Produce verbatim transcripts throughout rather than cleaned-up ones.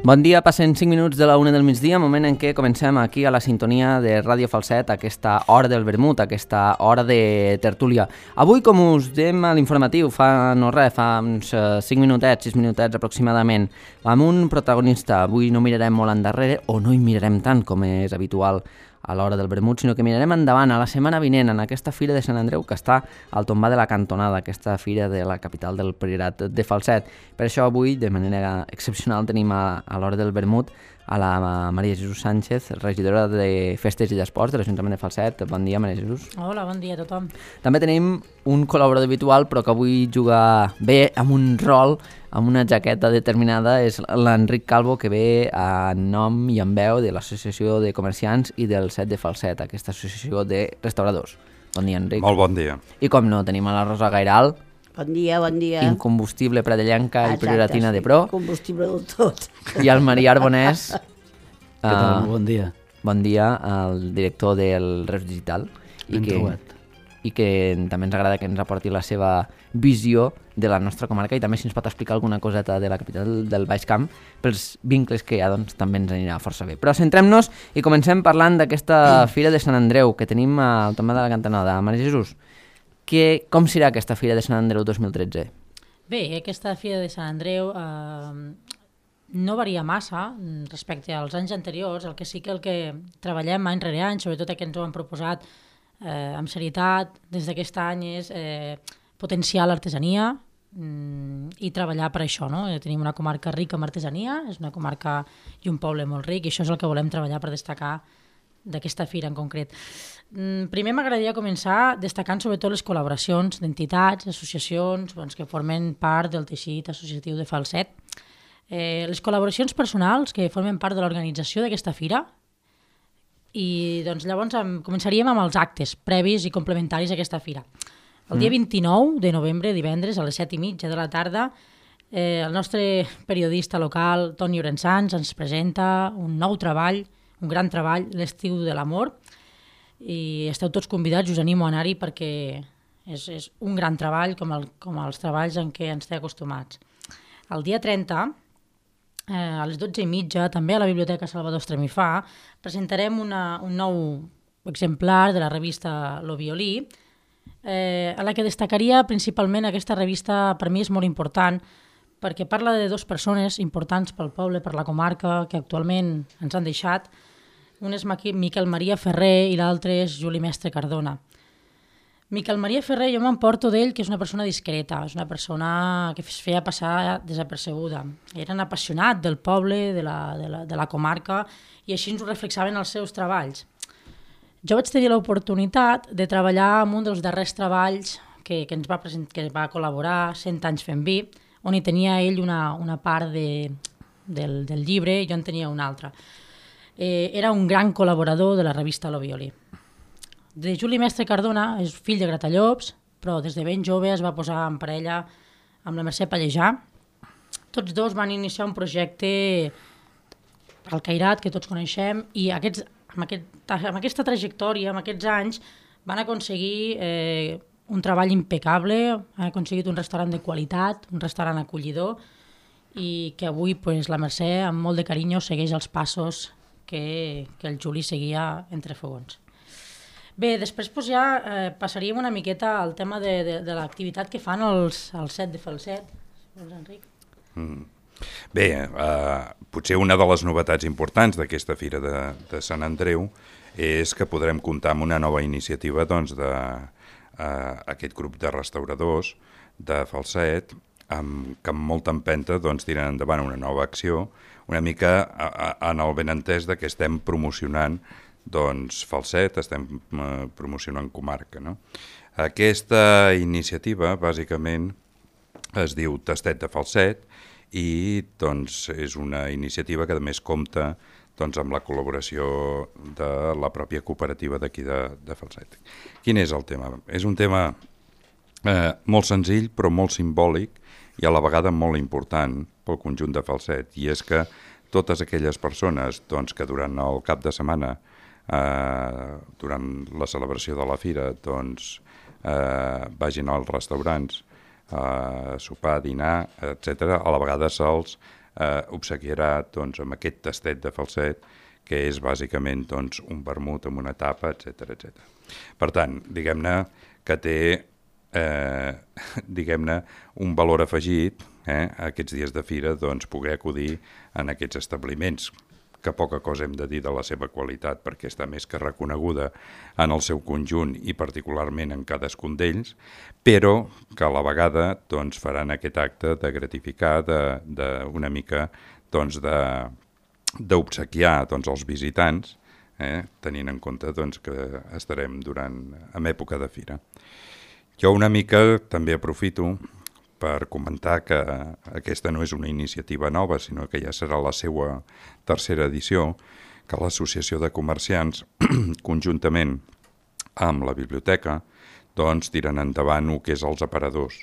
Bon dia, passen cinc minuts de la una del migdia, moment en què comencem aquí a la sintonia de Ràdio Falset, aquesta hora del vermut, aquesta hora de tertúlia. Avui, com us dèiem a l'informatiu, fa no res, fa uns cinc minutets, sis minutets aproximadament, amb un protagonista. Avui no mirarem molt endarrere, o no hi mirarem tant com és habitual a l'hora del vermut, sinó que mirarem endavant a la setmana vinent en aquesta fira de Sant Andreu que està al tombar de la Cantonada, aquesta fira de la capital del Priorat de Falset. Per això avui, de manera excepcional, tenim a, a l'hora del vermut a la Maria Jesús Sánchez, regidora de Festes i d'Esports de l'Ajuntament de Falset. Bon dia, Maria Jesús. Hola, bon dia a tothom. També tenim un col·laborador habitual, però que avui juga bé amb un rol, amb una jaqueta determinada, és l'Enric Calvo, que ve en nom i en veu de l'Associació de Comerciants i del Set de Falset, aquesta associació de restauradors. Bon dia, Enric. Molt bon dia. I com no, tenim a la Rosa Gairal, Bon dia, bon dia. incombustible pradellenca i prioratina de pro, Combustible del tot. i el Maria Arbonès, Què tal? eh, Bon dia. bon dia, el director del Reus Digital, i Ben que, trobat. i que també ens agrada que ens aporti la seva visió de la nostra comarca i també si ens pot explicar alguna coseta de la capital del Baix Camp pels vincles que hi ha, doncs també ens anirà força bé. Però centrem-nos i comencem parlant d'aquesta Fira de Sant Andreu que tenim al tombant de la Cantonada. Maria Jesús, que, com serà aquesta Fira de Sant Andreu dos mil tretze? Bé, aquesta Fira de Sant Andreu eh, no varia massa respecte als anys anteriors, el que sí que el que treballem any rere any, sobretot que ens ho han proposat eh, amb serietat des d'aquest any, és eh, potenciar l'artesania mm, i treballar per això. No? Tenim una comarca rica en artesania, és una comarca i un poble molt ric, i això és el que volem treballar per destacar d'aquesta fira en concret. Primer m'agradaria començar destacant sobretot les col·laboracions d'entitats, associacions doncs, que formen part del teixit associatiu de Falset. Eh, les col·laboracions personals que formen part de l'organització d'aquesta fira, i doncs, llavors em, començaríem amb els actes previs i complementaris a aquesta fira. El dia vint-i-nou de novembre, divendres, a les set i mitja de la tarda, eh, el nostre periodista local, Toni Orençans, ens presenta un nou treball, un gran treball, l'Estiu de l'Amor, i esteu tots convidats, us animo a anar-hi perquè és, és un gran treball com, el, com els treballs en què ens té acostumats. El dia trenta, eh, a les dotze i mitja, també a la Biblioteca Salvador Estremifà, presentarem una, un nou exemplar de la revista Lo Violí, eh, a la que destacaria principalment aquesta revista. Per mi és molt important perquè parla de dues persones importants pel poble, per la comarca, que actualment ens han deixat. Un és Miquel Maria Ferrer i l'altre és Juli Mestre Cardona. Miquel Maria Ferrer, jo m'emporto d'ell que és una persona discreta, és una persona que es feia passar desapercebuda. Era un apassionat del poble, de la, de la, de la comarca, i així ens ho reflexaven els seus treballs. Jo vaig tenir l'oportunitat de treballar en un dels darrers treballs que, que ens va, present, que va col·laborar, Cent anys fent vi, on hi tenia ell una, una part de, del, del llibre i jo en tenia una altra. Eh, era un gran col·laborador de la revista Lo Violí. De Juli Mestre Cardona és fill de Gratallops, però des de ben jove es va posar en parella amb la Mercè Pallejà. Tots dos van iniciar un projecte al Cairat, que tots coneixem, i aquests, amb, aquest, amb aquesta trajectòria, amb aquests anys, van aconseguir eh, un treball impecable, han aconseguit un restaurant de qualitat, un restaurant acollidor, i que avui pues, la Mercè, amb molt de carinyo, segueix els passos que, que el Juli seguia entre fogons. Bé, després pues, ja eh, passaríem una miqueta al tema de, de, de l'activitat que fan els, els Set de Falset. Doncs, Enric. Mm. Bé, eh, potser una de les novetats importants d'aquesta Fira de, de Sant Andreu és que podrem comptar amb una nova iniciativa doncs, de eh, aquest grup de restauradors de Falset, amb, que amb molta empenta doncs, tiren endavant una nova acció, una mica a, a, en el benentès de que estem promocionant doncs, Falset, estem eh, promocionant comarca. No? Aquesta iniciativa, bàsicament, es diu Tastet de Falset i doncs, és una iniciativa que a més compta doncs, amb la col·laboració de la pròpia cooperativa d'aquí de, de Falset. Quin és el tema? És un tema eh, molt senzill però molt simbòlic i a la vegada molt important pel conjunt de Falset, i és que totes aquelles persones doncs, que durant el cap de setmana, eh, durant la celebració de la fira, doncs, eh, vagin als restaurants, a sopar, dinar, etcètera, a la vegada se'ls eh, obsequiarà doncs, amb aquest tastet de Falset, que és bàsicament doncs, un vermut amb una tapa, etcètera etcètera. Per tant, diguem-ne que té eh, diguem-ne un valor afegit eh, a aquests dies de fira doncs, poder acudir en aquests establiments, que poca cosa hem de dir de la seva qualitat perquè està més que reconeguda en el seu conjunt i particularment en cadascun d'ells, però que a la vegada doncs, faran aquest acte de gratificar, de, de una mica doncs, de d'obsequiar doncs, els visitants, eh, tenint en compte doncs, que estarem durant, en època de fira. Jo una mica també aprofito per comentar que aquesta no és una iniciativa nova, sinó que ja serà la seva tercera edició, que l'Associació de Comerciants, conjuntament amb la biblioteca, doncs, tiren endavant el que és els aparadors.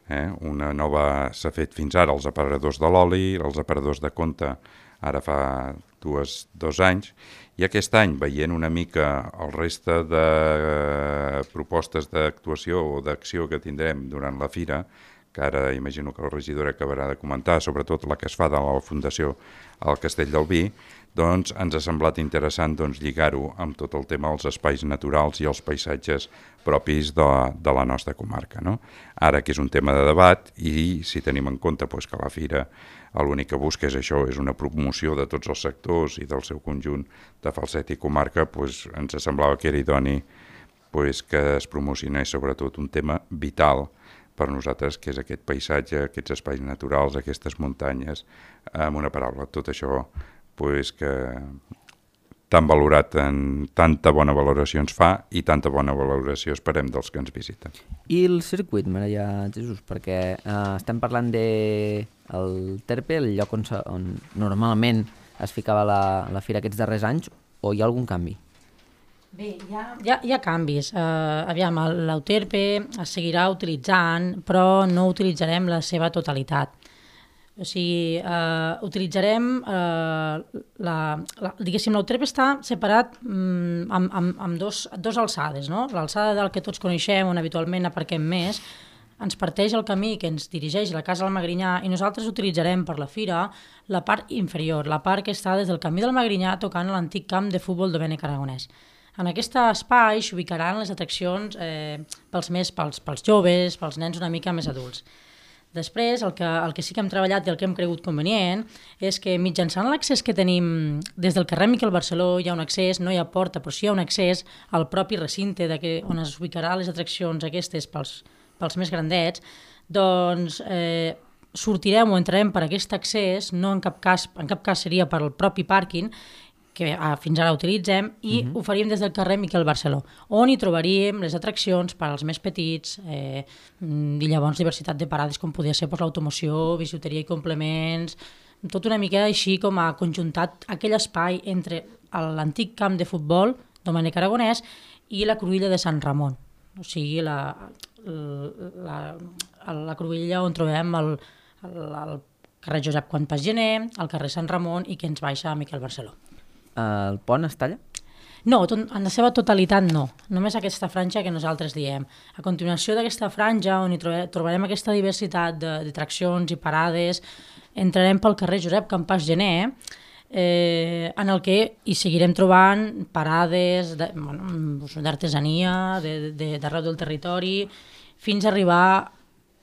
Eh? Una nova s'ha fet fins ara els aparadors de l'oli, els aparadors de compte, ara fa dues, dos anys, i aquest any, veient una mica el reste de propostes d'actuació o d'acció que tindrem durant la fira, que ara imagino que el regidor acabarà de comentar, sobretot la que es fa de la Fundació al Castell del Vi, doncs ens ha semblat interessant doncs, lligar-ho amb tot el tema dels espais naturals i els paisatges propis de, de la nostra comarca. No? Ara que és un tema de debat i si tenim en compte doncs, que la fira l'únic que busca és això, és una promoció de tots els sectors i del seu conjunt de Falset i comarca, doncs ens semblava que era idoni doncs, que es promocionés sobretot un tema vital per nosaltres, que és aquest paisatge, aquests espais naturals, aquestes muntanyes, amb una paraula, tot això pues, que tan valorat, en tanta bona valoració ens fa i tanta bona valoració esperem dels que ens visiten. I el circuit, Maria Jesús, perquè eh, estem parlant de el Terpe, el lloc on, on normalment es ficava la, la fira aquests darrers anys, o hi ha algun canvi? Bé, hi ha, hi ha, hi ha canvis. Uh, aviam, l'Euterpe es seguirà utilitzant, però no utilitzarem la seva totalitat. O sigui, uh, utilitzarem, uh, la, la, diguéssim, l'Euterpe està separat um, amb, amb, amb dos, dos alçades, no? L'alçada del que tots coneixem, on habitualment aparquem més, ens parteix el camí que ens dirigeix a la Casa del Magrinyà i nosaltres utilitzarem per la fira la part inferior, la part que està des del camí del Magrinyà tocant l'antic camp de futbol Domènec Aragonès. En aquest espai s'ubicaran les atraccions eh, pels, més, pels, pels joves, pels nens una mica més adults. Després, el que, el que sí que hem treballat i el que hem cregut convenient és que mitjançant l'accés que tenim des del carrer Miquel Barceló hi ha un accés, no hi ha porta, però sí hi ha un accés al propi recinte de que, on es ubicarà les atraccions aquestes pels, pels més grandets, doncs eh, sortirem o entrarem per aquest accés, no en cap cas, en cap cas seria per al propi pàrquing, que ah, fins ara utilitzem, i uh-huh. ho faríem des del carrer Miquel Barceló, on hi trobaríem les atraccions per als més petits, eh, i llavors diversitat de parades com podia ser pues, l'automoció, bisuteria i complements, tot una mica així com a conjuntat aquell espai entre l'antic camp de futbol Domènec Aragonès i la cruïlla de Sant Ramon, o sigui la, la, la, la cruïlla on trobem el, el, el carrer Josep Quantpàs Gener, el carrer Sant Ramon i que ens baixa a Miquel Barceló. El pont es talla? No, tot, en la seva totalitat no, només aquesta franja que nosaltres diem. A continuació d'aquesta franja, on hi trobe, trobarem aquesta diversitat d'atraccions i parades, entrarem pel carrer Josep Quantpàs Gener, eh, en el que hi seguirem trobant parades d'artesania, de, de, d'arreu del territori, fins a arribar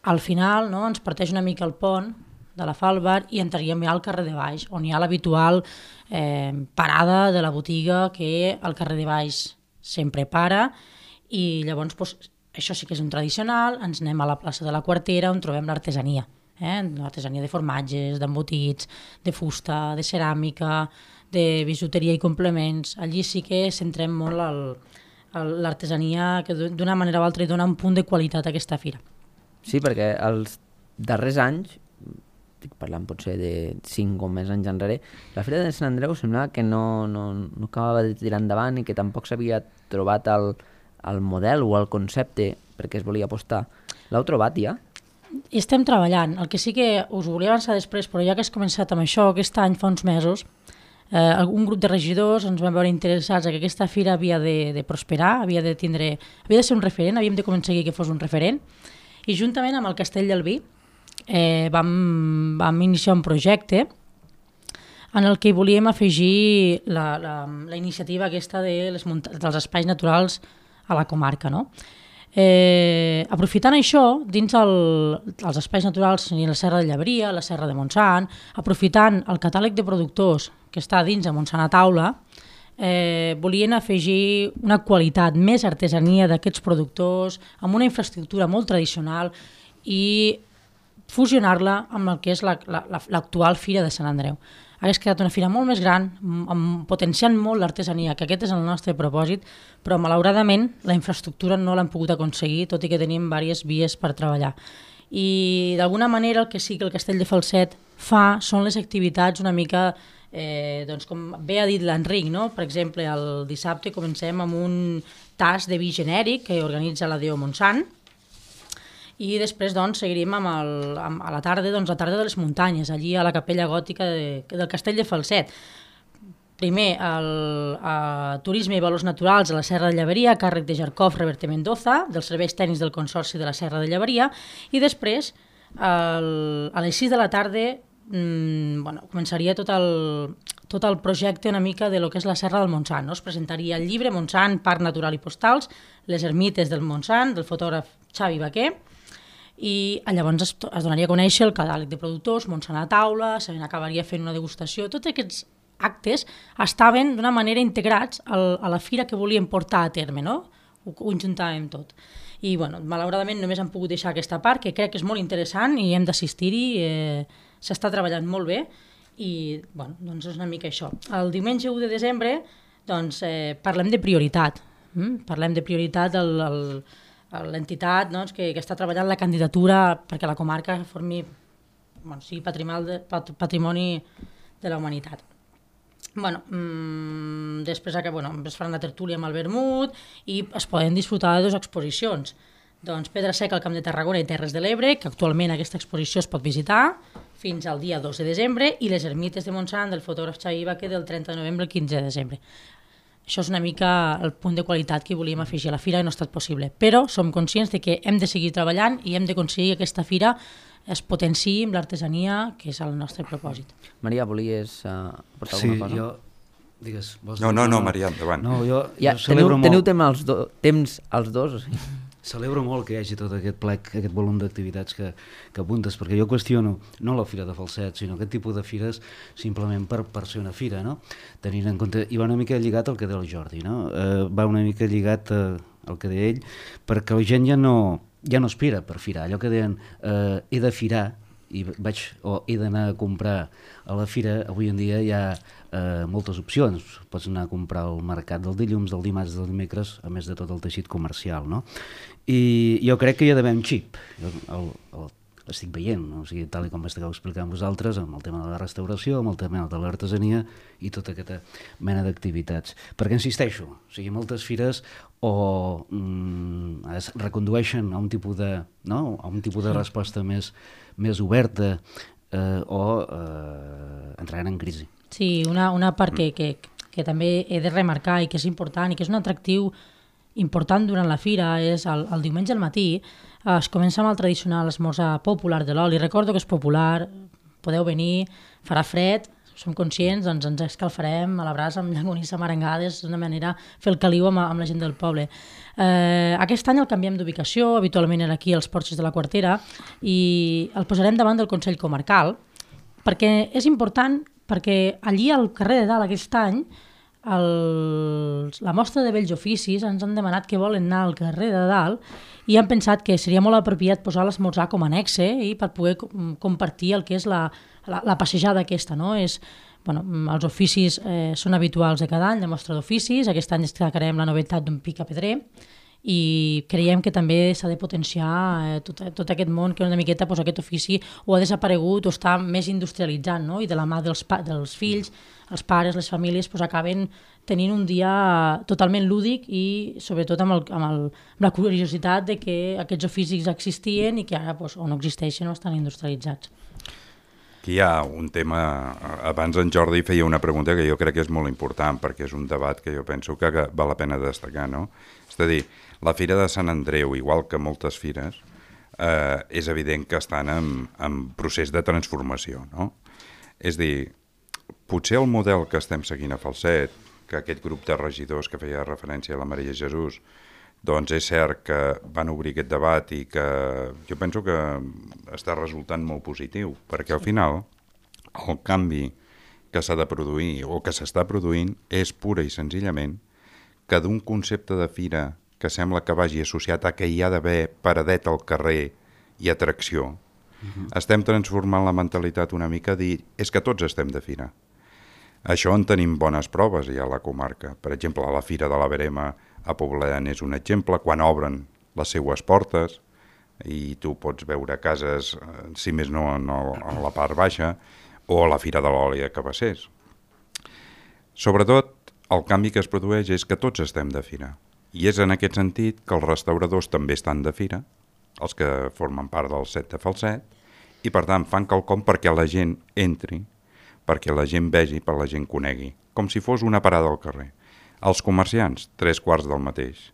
al final, no? Ens parteix una mica el pont de la Falbar i entraríem ja al carrer de Baix, on hi ha l'habitual eh, parada de la botiga que al carrer de Baix sempre para i llavors pues, això sí que és un tradicional, ens anem a la plaça de la Quartera on trobem l'artesania, eh? l'artesania de formatges, d'embotits, de fusta, de ceràmica, de bisuteria i complements. Allí sí que centrem molt el, el, l'artesania que d'una manera o altra hi dona un punt de qualitat a aquesta fira. Sí, perquè els darrers anys, estic parlant potser de cinc o més anys enrere, la Fira de Sant Andreu semblava que no, no, no acabava de tirar endavant i que tampoc s'havia trobat el, el model o el concepte perquè es volia apostar. L'heu trobat ja? I estem treballant. El que sí que us volia avançar després, però ja que has començat amb això, aquest any fa uns mesos, eh, un grup de regidors ens vam veure interessats que aquesta fira havia de, de prosperar, havia de tindre, havia de ser un referent, havíem de començar que fos un referent, i juntament amb el Castell del Vi, eh, vam, vam iniciar un projecte en el que volíem afegir la, la, la iniciativa aquesta de les dels espais naturals a la comarca, no? Eh, aprofitant això, dins el, els espais naturals, la Serra de Llaveria, la Serra de Montsant, aprofitant el catàleg de productors que està dins de Montsant a Taula, eh, volien afegir una qualitat, més artesania d'aquests productors, amb una infraestructura molt tradicional i fusionar-la amb el que és l'actual la, la, Fira de Sant Andreu. Hauria quedat una fira molt més gran, amb, potenciant molt l'artesania, que aquest és el nostre propòsit, però malauradament la infraestructura no l'hem pogut aconseguir, tot i que tenim diverses vies per treballar. I d'alguna manera el que sí que el Castell de Falset fa són les activitats una mica, eh, doncs com bé ha dit l'Enric, no? Per exemple, el dissabte comencem amb un tas de vi genèric que organitza la D O Montsant, i després doncs, seguiríem amb el, amb, a la tarda, doncs, la tarda de les muntanyes, allí a la capella gòtica de, del Castell de Falset. Primer, el, el turisme i valors naturals a la Serra de Llaveria, a càrrec de Jarkov Reverte Mendoza, dels serveis tècnics del Consorci de la Serra de Llaveria, i després, el, a les sis de la tarda, mmm, bueno, començaria tot el, tot el projecte una mica de lo que és la Serra del Montsant, no? Es presentaria el llibre Montsant, Parc Natural i Postals, les ermites del Montsant, del fotògraf Xavi Baquer, i llavors es, es donaria a conèixer el catàleg de productors, Montsant a Taula, se n'acabaria fent una degustació. Tots aquests actes estaven d'una manera integrats al, a la fira que volíem portar a terme, no? Ho conjuntàvem tot. I bueno, malauradament només hem pogut deixar aquesta part, que crec que és molt interessant i hem d'assistir-hi, eh, s'està treballant molt bé i bueno, doncs és una mica això. El diumenge u de desembre doncs, eh, parlem de prioritat, mm? parlem de prioritat el, el l'entitat, doncs, que, que està treballant la candidatura perquè la comarca formi, bueno, sigui patrimoni de, patrimoni de la humanitat. Bueno, mmm, després que, bueno, es farà una tertúlia amb el vermut i es poden disfrutar de dues exposicions. Doncs Pedra Seca al Camp de Tarragona i Terres de l'Ebre, que actualment aquesta exposició es pot visitar fins al dia dos de desembre, i les ermites de Montsant del fotògraf Xavi Baquer del trenta de novembre al quinze de desembre. Això és una mica el punt de qualitat que volíem afegir a la fira i no ha estat possible. Però som conscients de que hem de seguir treballant i hem d'aconseguir que aquesta fira es potenciï amb l'artesania, que és el nostre propòsit. Maria, volies uh, portar sí, alguna cosa? Sí, jo... Digues, vols no, no, no, Maria, endavant. No, jo, ja, jo teniu, molt... teniu temps els, do, temps els dos? O sigui? Celebro molt que hi hagi tot aquest plec, aquest volum d'activitats que, que apuntes, perquè jo qüestiono no la Fira de Falset, sinó aquest tipus de fires simplement per, per ser una fira, no? Tenint en compte, i va una mica lligat al que deia el Jordi, no? Eh, va una mica lligat eh, al que deia ell, perquè la gent ja no, ja no aspira per firar, allò que deien eh, he de firar, i vaig, o he d'anar a comprar a la fira, avui en dia hi ha eh, moltes opcions, pots anar a comprar al mercat del dilluns, del dimarts, del dimecres, a més de tot el teixit comercial, no? I jo crec que hi ha d'haver un xip, jo el, el, l'estic veient, no? O sigui, tal com esteu explicant vosaltres, amb el tema de la restauració, amb el tema de l'artesania i tota aquesta mena d'activitats. Perquè insisteixo, o sigui, moltes fires o mm, es recondueixen a un tipus de, no? a un tipus de resposta més, més oberta eh, o eh, entraran en crisi. Sí, una, una part que, que, que també he de remarcar i que és important i que és un atractiu important durant la fira és el, el diumenge al matí eh, es comença amb el tradicional esmorzar popular de l'oli. Recordo que és popular, podeu venir, farà fred, som conscients, doncs ens escalfarem a la brasa amb llonganissa marangades, és una manera fer el caliu amb, amb la gent del poble. Eh, aquest any el canviem d'ubicació, habitualment era aquí als Porxos de la Quartera, i el posarem davant del Consell Comarcal, perquè és important, perquè allí al carrer de Dalt aquest any el, la mostra de vells oficis ens han demanat que volen anar al carrer de Dalt i han pensat que seria molt apropiat posar l'esmorzar com a annexe i per poder compartir el que és la, la, la passejada aquesta, no? És, bueno, els oficis eh, són habituals de cada any, la mostra d'oficis, aquest any destacarem la novetat d'un picapedrer i creiem que també s'ha de potenciar eh, tot, tot aquest món que una miqueta pues, aquest ofici o ha desaparegut o està més industrialitzant, no? I de la mà dels, pa dels fills, els pares, les famílies pues, acaben tenint un dia totalment lúdic i sobretot amb, el, amb, el, amb la curiositat de que aquests oficis existien i que ara pues, o no existeixen o estan industrialitzats. Aquí hi ha un tema, abans en Jordi feia una pregunta que jo crec que és molt important perquè és un debat que jo penso que, que val la pena destacar, no? És a dir, la Fira de Sant Andreu, igual que moltes fires, eh, és evident que estan en, en procés de transformació, no? És dir, potser el model que estem seguint a Falset, que aquest grup de regidors que feia referència a la Maria Jesús, doncs és cert que van obrir aquest debat i que jo penso que està resultant molt positiu, perquè al final el canvi que s'ha de produir o que s'està produint és pura i senzillament que d'un concepte de fira que sembla que vagi associat a que hi ha d'haver paradet al carrer i atracció, uh-huh. estem transformant la mentalitat una mica a dir és que tots estem de fira. Això en tenim bones proves ja a la comarca. Per exemple, la Fira de la Verema a Poblet és un exemple, quan obren les seues portes i tu pots veure cases, si més no, en, el, en la part baixa, o a la Fira de l'Oli a Cabassers. Sobretot, el canvi que es produeix és que tots estem de fira. I és en aquest sentit que els restauradors també estan de fira, els que formen part del set de Falset, i per tant fan quelcom perquè la gent entri, perquè la gent vegi, per la gent conegui, com si fos una parada al carrer. Els comerciants, tres quarts del mateix.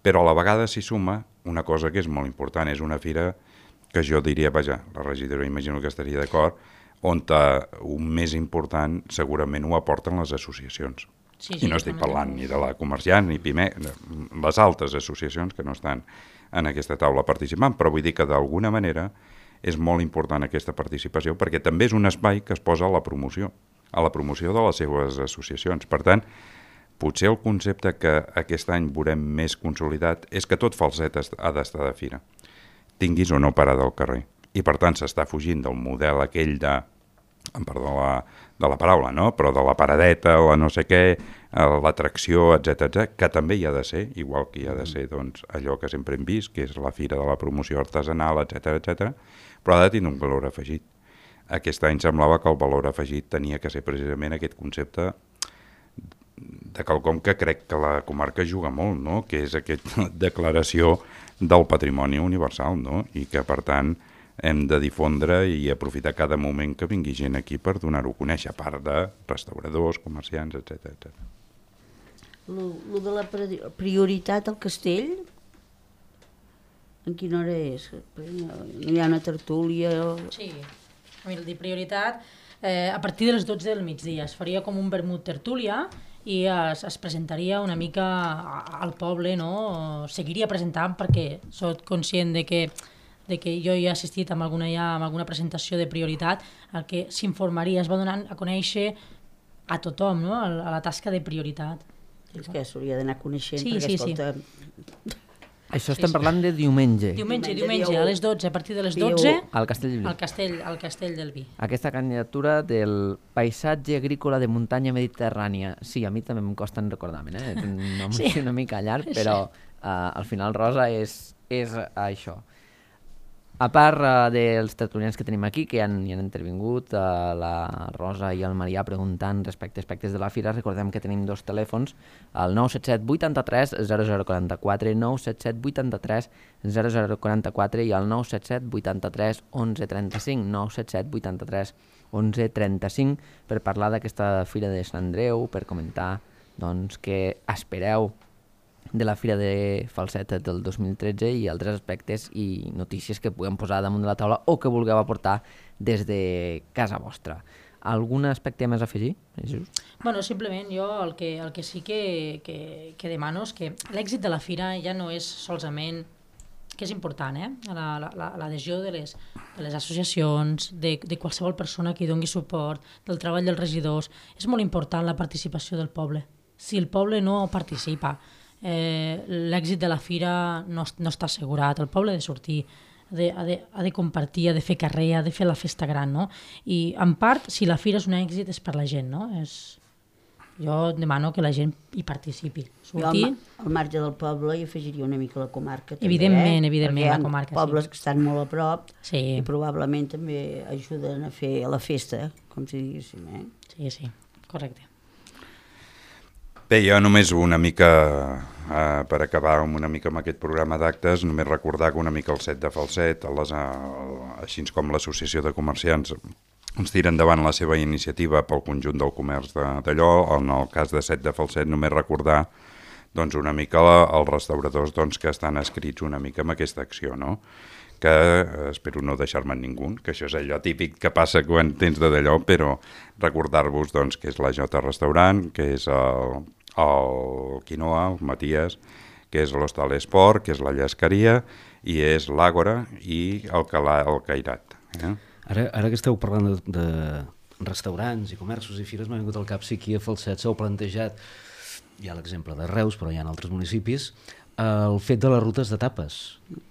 Però a la vegada s'hi suma una cosa que és molt important, és una fira que jo diria, vaja, la regidora imagino que estaria d'acord, on un més important segurament ho aporten les associacions. Sí, sí, I no estic parlant ni de la comerciant ni Pimec, les altres associacions que no estan en aquesta taula participant, però vull dir que d'alguna manera és molt important aquesta participació perquè també és un espai que es posa a la promoció, a la promoció de les seves associacions. Per tant, potser el concepte que aquest any veurem més consolidat és que tot Falset ha d'estar de fira, tinguis o no parada al carrer. I per tant s'està fugint del model aquell de, em perdó la, de la paraula, no? Però de la paradeta, la no sé què, l'atracció, etcètera, que també hi ha de ser, igual que hi ha de ser doncs, allò que sempre hem vist, que és la fira de la promoció artesanal, etcètera, etcètera, però ha de tenir un valor afegit. Aquest any semblava que el valor afegit tenia que ser precisament aquest concepte de quelcom que crec que la comarca juga molt, no? Que és aquesta declaració del patrimoni universal, no? I que, per tant, hem de difondre i aprofitar cada moment que vingui gent aquí per donar-ho a conèixer, a part de restauradors, comerciants, etcètera, etcètera. Lo, lo de la prioritat al castell, en quina hora és? No hi ha una tertúlia? O... Sí, a mi el de prioritat, eh, a partir de les dotze del migdia es faria com un vermut tertúlia i es, es presentaria una mica al poble, no? Seguiria presentant perquè soc conscient de que de que jo hi he assistit amb alguna, ja, amb alguna presentació de prioritat, el que s'informaria, es va donant a conèixer a tothom, no? a la tasca de prioritat. És que s'hauria d'anar coneixent, sí, perquè, sí, escolta... Sí. Això estem parlant de diumenge. Diumenge, Diumenge, diumenge, a les dotze, a partir de les dotze, al Castell del Vi. Al castell, al castell del Vi. Aquesta candidatura del paisatge agrícola de muntanya mediterrània. Sí, a mi també em costa en recordar-me'n, eh? És un nom sí. una mica llarg, però uh, al final, Rosa, és, és això. A part uh, dels tertulians que tenim aquí, que han, hi han intervingut, uh, la Rosa i el Marià preguntant respecte a aspectes de la fira, recordem que tenim dos telèfons, el nou set set vuit tres zero zero quatre quatre, nou set set vuit tres zero zero quatre quatre i el nou set set vuit tres onze trenta cinc, nou set set vuit tres onze trenta cinc, per parlar d'aquesta fira de Sant Andreu, per comentar doncs, què espereu de la Fira de Falset del dos mil tretze i altres aspectes i notícies que puguem posar damunt de la taula o que vulgueu aportar des de casa vostra. Algun aspecte més a afegir? Bueno, simplement jo el que, el que sí que, que, que demano és que l'èxit de la fira ja no és solament, que és important, eh? l'adhesió de, les, de les associacions, de, de qualsevol persona que hi doni suport, del treball dels regidors. És molt important la participació del poble. Si el poble no participa, Eh, l'èxit de la fira no, no està assegurat. El poble ha de sortir, ha de, ha, de, ha de compartir, ha de fer carrer, ha de fer la festa gran, no? I en part, si la fira és un èxit és per la gent, no? És... Jo demano que la gent hi participi. Sortir... Jo al, al marge del poble hi afegiria una mica la comarca també, evidentment, eh? evidentment, la comarca, hi ha pobles sí. que estan molt a prop sí. i probablement també ajuden a fer la festa, com si diguéssim, eh? Sí, sí, correcte. Bé, jo només una mica, eh, per acabar una mica amb aquest programa d'actes, només recordar que una mica el set de Falset, les, eh, així com l'Associació de Comerciants, ens tira endavant la seva iniciativa pel conjunt del comerç d'allò. En el cas de set de Falset, només recordar doncs, una mica la, els restauradors doncs, que estan escrits una mica amb aquesta acció, no? que eh, espero no deixar-me ningú, que això és allò típic que passa quan tens de d'allò, però recordar-vos doncs, que és la Jota Restaurant, que és el, el Quinoa, el Matías, que és l'Hostal Esport, que és la Llesqueria, i és l'Àgora i el, Calà, el Cairat. Eh? Ara, ara que esteu parlant de, de restaurants i comerços i fires, m'ha vingut al cap si aquí a Falset s'heu plantejat, hi ha l'exemple de Reus, però hi ha altres municipis, el fet de les rutes de tapes.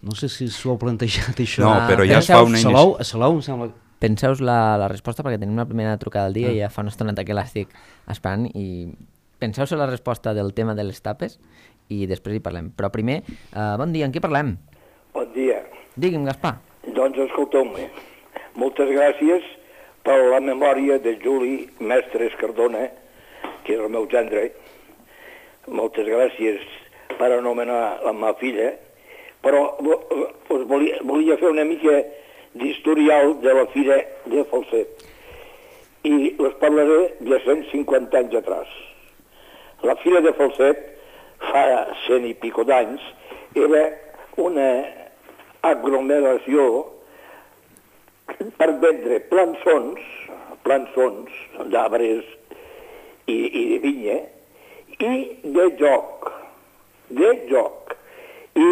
No sé si s'ho heu plantejat, això. No, però ja es fa una Salou, a Salou, em sembla... Penseu-vos la, la resposta, perquè tenim la primera trucada del dia Ah. i ja fa una estoneta que l'estic esperant, i penseu-vos la resposta del tema de les tapes i després hi parlem. Però primer, uh, bon dia, en qui parlem? Bon dia. Digui'm, Gaspar. Doncs escolteu-me, moltes gràcies per la memòria de Juli Mestres Cardona, que és el meu gendre. Moltes gràcies per anomenar la meva filla, però us volia, volia fer una mica d'historial de la fira de Falset. I us parlaré de cent cinquanta anys atrás. La fira de Falset, fa cent i pico d'anys, era una aglomeració per vendre plançons, plançons d'arbres i, i de vinya, i de joc, de joc. I,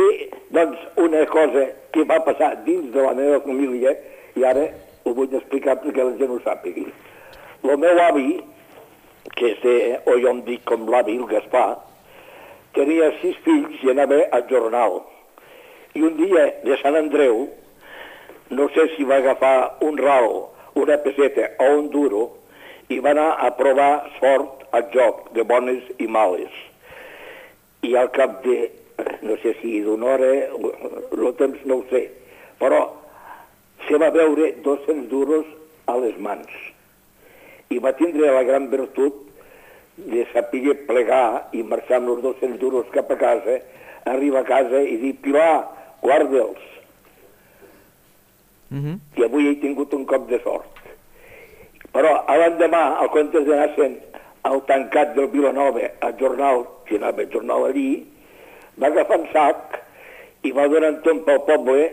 doncs, una cosa que va passar dins de la meva família, i ara ho vull explicar perquè la gent ho sàpigui. El meu avi, que és de, o jo em dic com l'avi, el Gaspar, tenia sis fills i anava al jornal. I un dia de Sant Andreu, no sé si va agafar un ral, una peseta o un duro, i va anar a provar sort al joc de bones i males. I al cap de, no sé si d'una hora, el temps no ho sé, però se va veure dos-cents duros a les mans. I va tindre la gran virtut de saber plegar i marxar amb els dos-cents duros cap a casa, arribar a casa i dir, Pilar, guarda'ls. Uh-huh. I avui he tingut un cop de sort. Però l'endemà, al comptes d'anar sent al tancat del Vilanova, al jornal, que anava al jornal allí, va agafar un sac i va donant tot pel poble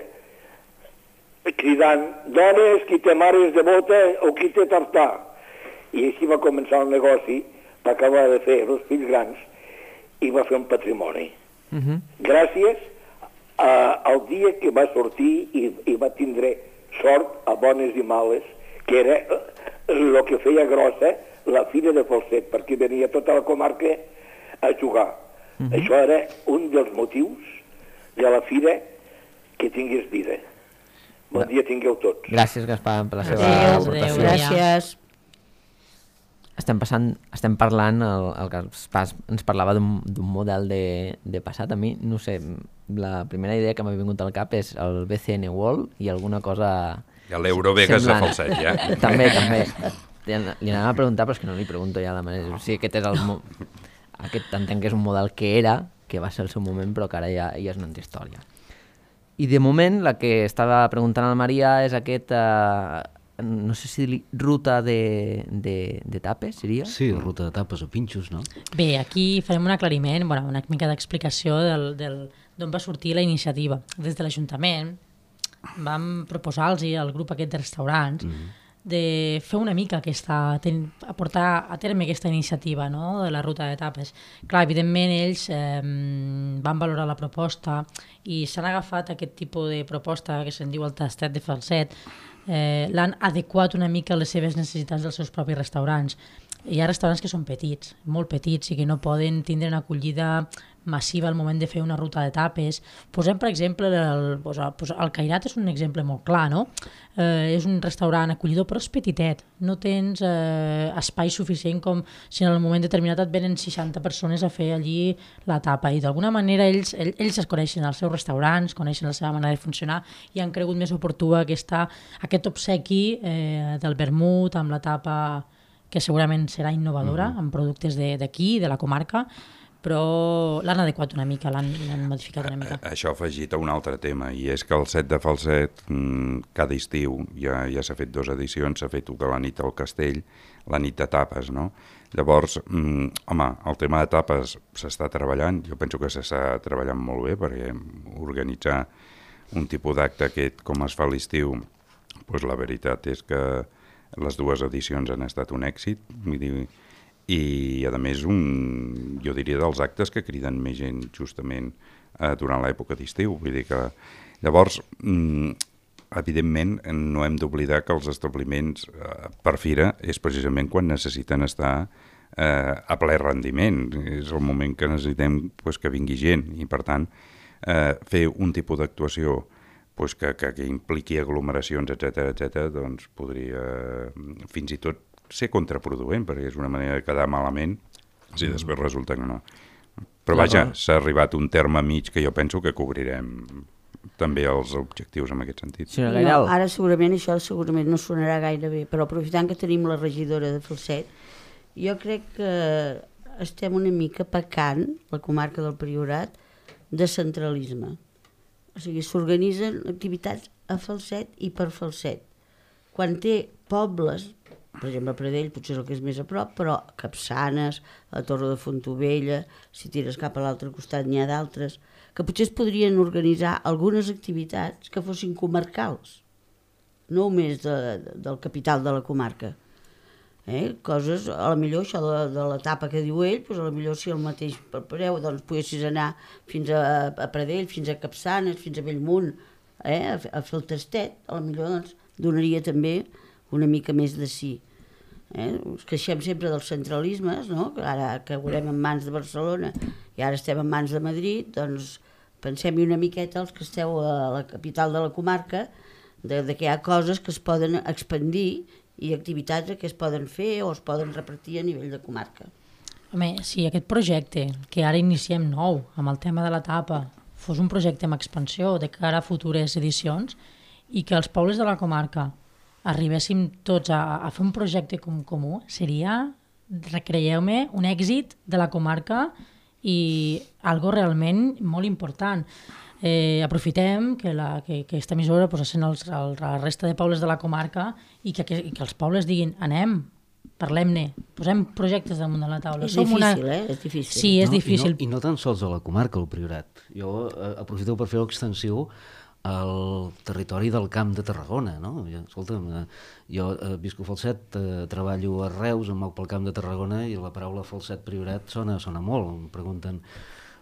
cridant, dones, qui té mares de bota o qui té tartà. I així va començar el negoci, va acabar de fer els fills grans i va fer un patrimoni. Uh-huh. Gràcies a, al dia que va sortir i, i va tindre sort a bones i males, que era el que feia grossa la fira de Falset, perquè venia tota la comarca a jugar. Uh-huh. Això era un dels motius de la fira que tingués vida. Bon dia tingueu tots. Gràcies, Gaspar, per la seva Adéu, aportació. adéu. Gràcies. Estem, passant, estem parlant, el, el Gaspar ens parlava d'un model de, de passat. A mi, no sé, la primera idea que m'ha vingut al cap és el B C N World i alguna cosa... I l'Eurovegas de Falset, ja. També, també. Li anava a preguntar, però és que no li pregunto ja la manera. O sigui, aquest és el... Mo... Aquest entenc que és un model que era, que va ser el seu moment, però que ara ja, ja és una altra història. I de moment, la que estava preguntant al Maria és aquest... Eh, no sé si li, ruta de, de, de tapes, seria? Sí, ruta de tapes o pinxos, no? Bé, aquí farem un aclariment, bueno, una mica d'explicació del, del, d'on va sortir la iniciativa. Des de l'Ajuntament vam proposar-los al grup aquest de restaurants mm-hmm. de fer una mica aquesta, ten, a portar a terme aquesta iniciativa, no?, de la ruta de tapes. Clar, evidentment ells eh, van valorar la proposta i s'han agafat aquest tipus de proposta que se'n diu el tastet de Falset, eh, l'han adequat una mica a les seves necessitats dels seus propis restaurants. Hi ha restaurants que són petits, molt petits, i que no poden tindre una acollida massiva al moment de fer una ruta de tapes. Posem, per exemple, el, el Cairat és un exemple molt clar, no? Eh, és un restaurant acollidor, però és petitet. No tens eh, espai suficient com si en el moment determinat et venen seixanta persones a fer allí la tapa. I d'alguna manera ells, ells, ells es coneixen els seus restaurants, coneixen la seva manera de funcionar i han cregut més oportú aquesta, aquest obsequi eh, del vermut amb la tapa que segurament serà innovadora, mm-hmm. amb productes d'aquí, de, de la comarca, però l'han adequat una mica, l'han modificat una mica. Això ha afegit a un altre tema, i és que el set de Falset, cada estiu, ja, ja s'ha fet dues edicions, s'ha fet tota la nit al castell, la nit de tapes, no? Llavors, home, el tema de tapes s'està treballant, jo penso que s'està treballant molt bé, perquè organitzar un tipus d'acte aquest com es fa a l'estiu, doncs la veritat és que les dues edicions han estat un èxit, vull dir, i a més un, jo diria dels actes que criden més gent justament eh, durant l'època d'estiu, vull dir que llavors mm, evidentment no hem d'oblidar que els establiments eh, per fira és precisament quan necessiten estar eh, a ple rendiment, és el moment que necessitem pues, que vingui gent i per tant eh, fer un tipus d'actuació pues, que, que, que impliqui aglomeracions, etcètera, etcètera, doncs podria fins i tot ser contraproduent, perquè és una manera de quedar malament si després resulta que no. Però vaja, s'ha arribat un terme mig que jo penso que cobrirem també els objectius en aquest sentit. Sí, no, ara segurament això segurament no sonarà gaire bé, però aprofitant que tenim la regidora de Falset, jo crec que estem una mica pecant, la comarca del Priorat, de centralisme. O sigui, s'organitzen activitats a Falset i per Falset. Quan té pobles, per exemple, a Pradell potser és el que és més a prop, però Capçanes, la Torre de Fontovella, si tires cap a l'altre costat n'hi ha d'altres, que potser es podrien organitzar algunes activitats que fossin comarcals, no només de, de, del capital de la comarca. Eh? Coses, a la millor això de, de l'etapa que diu ell, doncs a la millor si el mateix preu, doncs poguessis anar fins a, a Pradell, fins a Capçanes, fins a Bellmunt, eh? a, a fer el tastet, a la millor doncs, donaria també una mica més de sí. Eh? Ens queixem sempre dels centralismes, no? Que ara que veurem en mans de Barcelona i ara estem en mans de Madrid, doncs pensem-hi una miqueta els que esteu a la capital de la comarca, de, de que hi ha coses que es poden expandir i activitats que es poden fer o es poden repartir a nivell de comarca. Home, si aquest projecte que ara iniciem nou amb el tema de l'etapa fos un projecte amb expansió de cara a futures edicions i que els pobles de la comarca arribéssim tots a, a fer un projecte com comú, seria, recreieu-me, un èxit de la comarca i algo realment molt important. Eh, aprofitem que, la, que, que aquesta emissora pues, sent els, el, la resta de pobles de la comarca i que, que, i que els pobles diguin anem, parlem-ne, posem projectes damunt de la taula. És Som difícil, una... eh? És difícil. Sí, és no, difícil. I no, I no tan sols a la comarca, el Priorat. Jo eh, aprofito per fer l'extensió al territori del Camp de Tarragona, no? Jo, escolta'm, eh, jo eh, visco a Falset, eh, treballo a Reus, em moc pel Camp de Tarragona i la paraula Falset Priorat sona, sona molt. Em pregunten,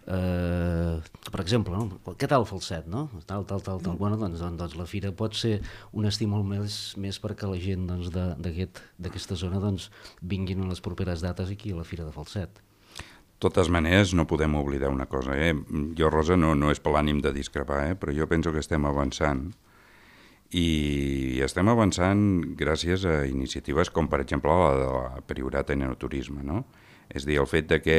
eh, per exemple, no? Què tal Falset, no? Tal, tal, tal, tal. Bueno, doncs, doncs, doncs la fira pot ser un estímul més, més perquè la gent doncs, d'aquesta aquest, zona doncs, vinguin a les properes dates aquí a la fira de Falset. De totes maneres, no podem oblidar una cosa. Eh? Jo, Rosa, no, no és per l'ànim de discrepar, eh? Però jo penso que estem avançant i estem avançant gràcies a iniciatives com, per exemple, la de la Priorat en Enoturisme, no? És a dir, el fet de que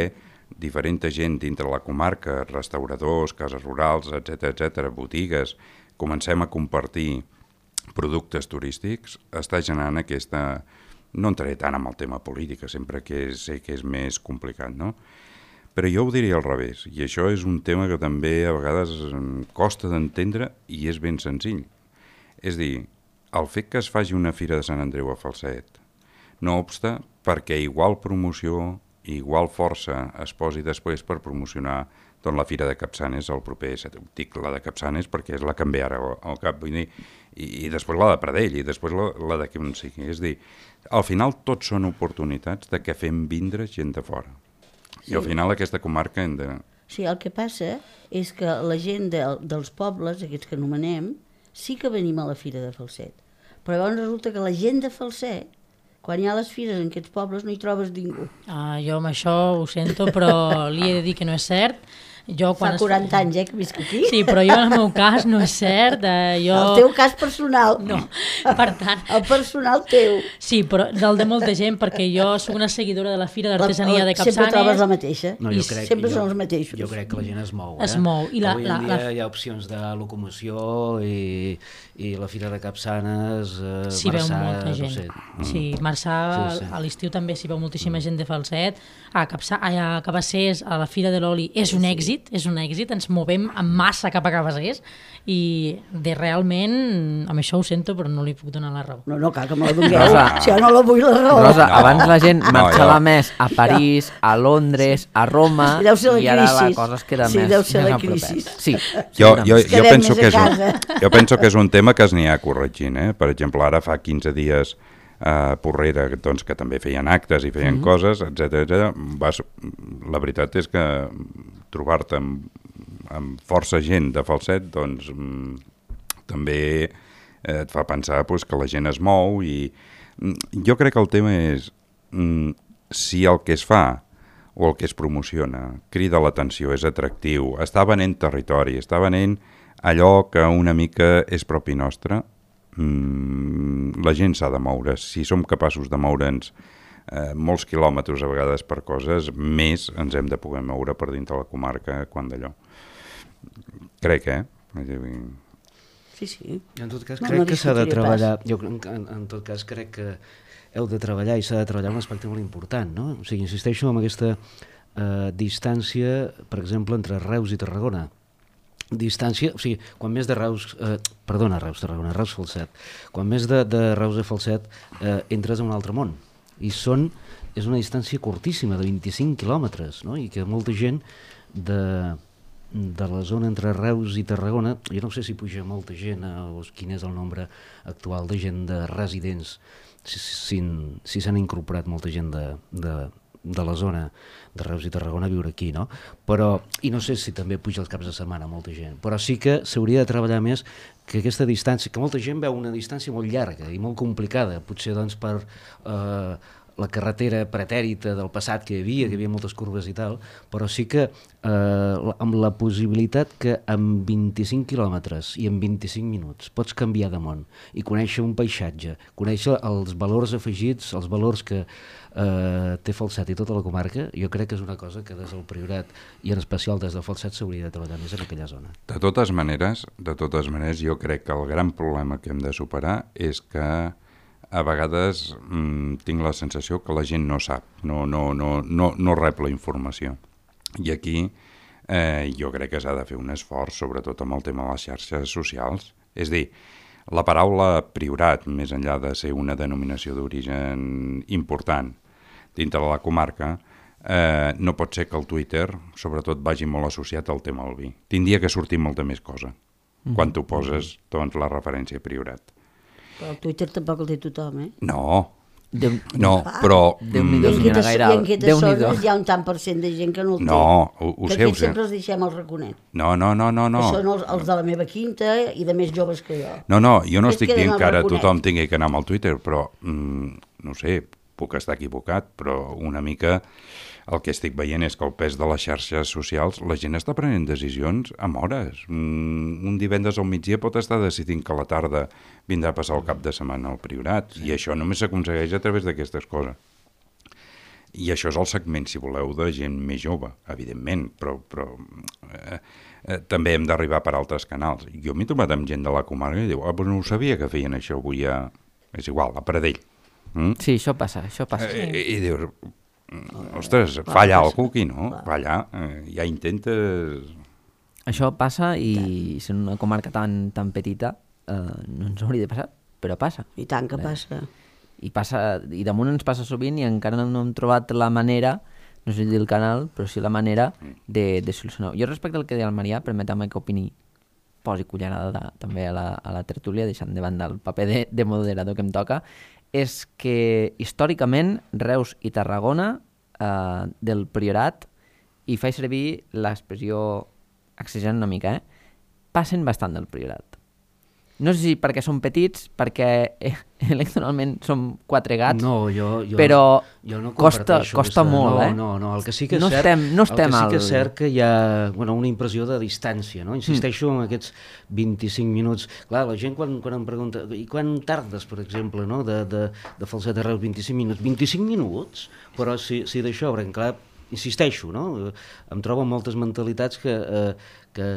diferent gent dintre la comarca, restauradors, cases rurals, etcètera, etcètera, botigues, comencem a compartir productes turístics, està generant aquesta... No entraré tant en el tema polític, sempre que sé que és més complicat, no? Però jo ho diria al revés, i això és un tema que també a vegades costa d'entendre i és ben senzill. És dir, el fet que es faci una fira de Sant Andreu a Falset no obsta perquè igual promoció, igual força es posi després per promocionar doncs, la fira de Capçanes el proper, dic la de Capçanes perquè és la que em ve ara al cap, vull dir, i, i després la de Pradell i després la, la de qui on sigui. És dir, al final tots són oportunitats de que fem vindre gent de fora. I al final aquesta comarca hem de... Sí, el que passa és que la gent de, dels pobles, aquests que anomenem, sí que venim a la fira de Falset. Però llavors resulta que la gent de Falset, quan hi ha les fires en aquests pobles, no hi trobes ningú. Ah, jo amb això ho sento, però li he de dir que no és cert. Jo, quan Fa quaranta anys, eh, que visc aquí. Sí, però jo en el meu cas no és cert. Eh, jo... El teu cas personal. No, per tant... El personal teu. Sí, però del de molta gent, perquè jo soc una seguidora de la Fira d'Artesania de Capçanes. Sempre trobes la mateixa. No, jo crec, sempre jo, són els mateixos. Jo crec que la gent es mou. Eh? Es mou. I la, Avui la, en dia la... hi ha opcions de locomoció i, i la Fira de Capçanes, eh, s'hi veu Marçà, molta gent. no sé. Sí, Marçà, Sí, sí. a l'estiu també s'hi veu moltíssima gent de Falset. A, Capçà, a Cabassers, a la Fira de l'Oli, és un èxit. èxit, és un èxit, ens movem en massa cap a Cabassers i de realment, amb això ho sento, però no li puc donar la raó. No, no, cal que me la dongueu. Rosa. Si jo no la vull la raó. Rosa, No. abans la gent No, marxava jo- més a París, a Londres, a Roma, Sí, deu ser la i ara la crisi. cosa es queda Sí, més, deu ser més la a propet. crisi. Sí, Jo, sí, jo, Ens jo, quedem penso més que a és un, casa. jo penso que és un tema que es n'hi ha corregint. Eh? Per exemple, ara fa quinze dies a Porrera, doncs, que també feien actes i feien Mhm. coses, etcètera. Vas, la veritat és que trobar-te amb, amb força gent de Falset, doncs, mm, també eh, et fa pensar pues, que la gent es mou i mm, jo crec que el tema és mm, si el que es fa o el que es promociona crida l'atenció, és atractiu, està venent territori, està venent allò que una mica és propi nostre, mm, la gent s'ha de moure. Si som capaços de moure'ns eh, molts quilòmetres a vegades per coses, més ens hem de poder moure per dintre la comarca quan d'allò. Crec, eh? Vull dir, Sí, sí. En tot cas, No, crec no que s'ha de discutiré treballar, jo en, en, en tot cas crec que heu de treballar i s'ha de treballar un aspecte molt important, no? O sigui, insisteixo en aquesta eh, distància, per exemple, entre Reus i Tarragona. Distància, o sigui, quan més de Reus, eh, perdona, Reus, Tarragona, Reus Falset, quan més de, de Reus a Falset eh, entres a un altre món, i són, és una distància curtíssima, de vint-i-cinc quilòmetres, no? I que molta gent de, de la zona entre Reus i Tarragona, jo no sé si puja molta gent, eh, o quin és el nombre actual de gent de residents, si s'han si, si incorporat molta gent de, de, de la zona de Reus i Tarragona a viure aquí, no? Però, i no sé si també puja els caps de setmana molta gent, però sí que s'hauria de treballar més que aquesta distància, que molta gent veu una distància molt llarga i molt complicada, potser doncs per eh, la carretera pretèrita del passat que hi havia, que hi havia moltes curves i tal, però sí que eh, amb la possibilitat que amb vint-i-cinc quilòmetres i en vint-i-cinc minuts pots canviar de món i conèixer un paisatge, conèixer els valors afegits, els valors que eh, té Falset i tota la comarca, jo crec que és una cosa que des del Priorat i en especial des de Falset s'hauria de treballar més en aquella zona. De totes maneres, de totes maneres, jo crec que el gran problema que hem de superar és que a vegades mmm, tinc la sensació que la gent no sap, no, no, no, no, no rep la informació. I aquí eh, jo crec que s'ha de fer un esforç, sobretot amb el tema de les xarxes socials. És a dir, la paraula Priorat, més enllà de ser una denominació d'origen important dintre de la comarca, eh, no pot ser que el Twitter, sobretot, vagi molt associat al tema del vi. Tindria que sortir molta més cosa, mm-hmm. quan tu poses doncs, la referència a Priorat. Però el Twitter tampoc el té tothom, eh? No, Déu, no, però... Déu-n'hi-do, I en senyora aquestes, Gairal, i en aquestes Déu-n'hi-do. zones hi ha un tant per cent de gent que no el té. No, ho, ho que sé, ho aquests sé. sempre els deixem al raconet. No, no, no, no, no. Que són els, els de la meva quinta i de més joves que jo. No, no, jo no Aquests estic queden dient al que ara raconet. tothom tingui que anar amb el Twitter, però, mm, no sé, puc estar equivocat, però una mica el que estic veient és que el pes de les xarxes socials, la gent està prenent decisions amb hores. Mm, un divendres al migdia pot estar decidint que a la tarda vindrà a passar el cap de setmana al Priorat, sí. I això només s'aconsegueix a través d'aquestes coses. I això és el segment, si voleu, de gent més jove, evidentment, però, però eh, eh, també hem d'arribar per altres canals. Jo m'he trobat amb gent de la comarca i diu, ah, però no ho sabia que feien això avui a... És igual, a Pradell. Mm? Sí, això passa, això passa. Eh, I, i dius, ostres, falla algú aquí, no? Falla, eh, ja intentes... Això passa i sent una comarca tan, tan petita eh, no ens hauria de passar, però passa. I tant que Eh, passa. I passa, i damunt ens passa sovint i encara no hem trobat la manera, no sé si dir el canal, però sí la manera de, de solucionar-ho. Jo respecte al que deia el Marià, permeteu-me que opini, posi cullerada de, també a la, a la tertúlia, deixant de banda el paper de, de moderador que em toca, és que històricament Reus i Tarragona eh, del Priorat, i faig servir l'expressió exagerant una mica, eh? passen bastant del Priorat. No sé si perquè són petits, perquè eh, electoralment som quatre gats, No, jo, jo, però jo no costa, comparteixo costa aquesta- molt, no, eh? No, no, el que sí que és no cert, estem, no estem el que sí que és al... cert que hi ha bueno, una impressió de distància, no? Insisteixo Mm. en aquests vint-i-cinc minuts. Clar, la gent quan, quan em pregunta, i quan tardes, per exemple, no? de, de, de Falset a Reus, vint-i-cinc minuts? vint-i-cinc minuts? Però si, si d'això, perquè clar, insisteixo, no? Em trobo moltes mentalitats que, eh, que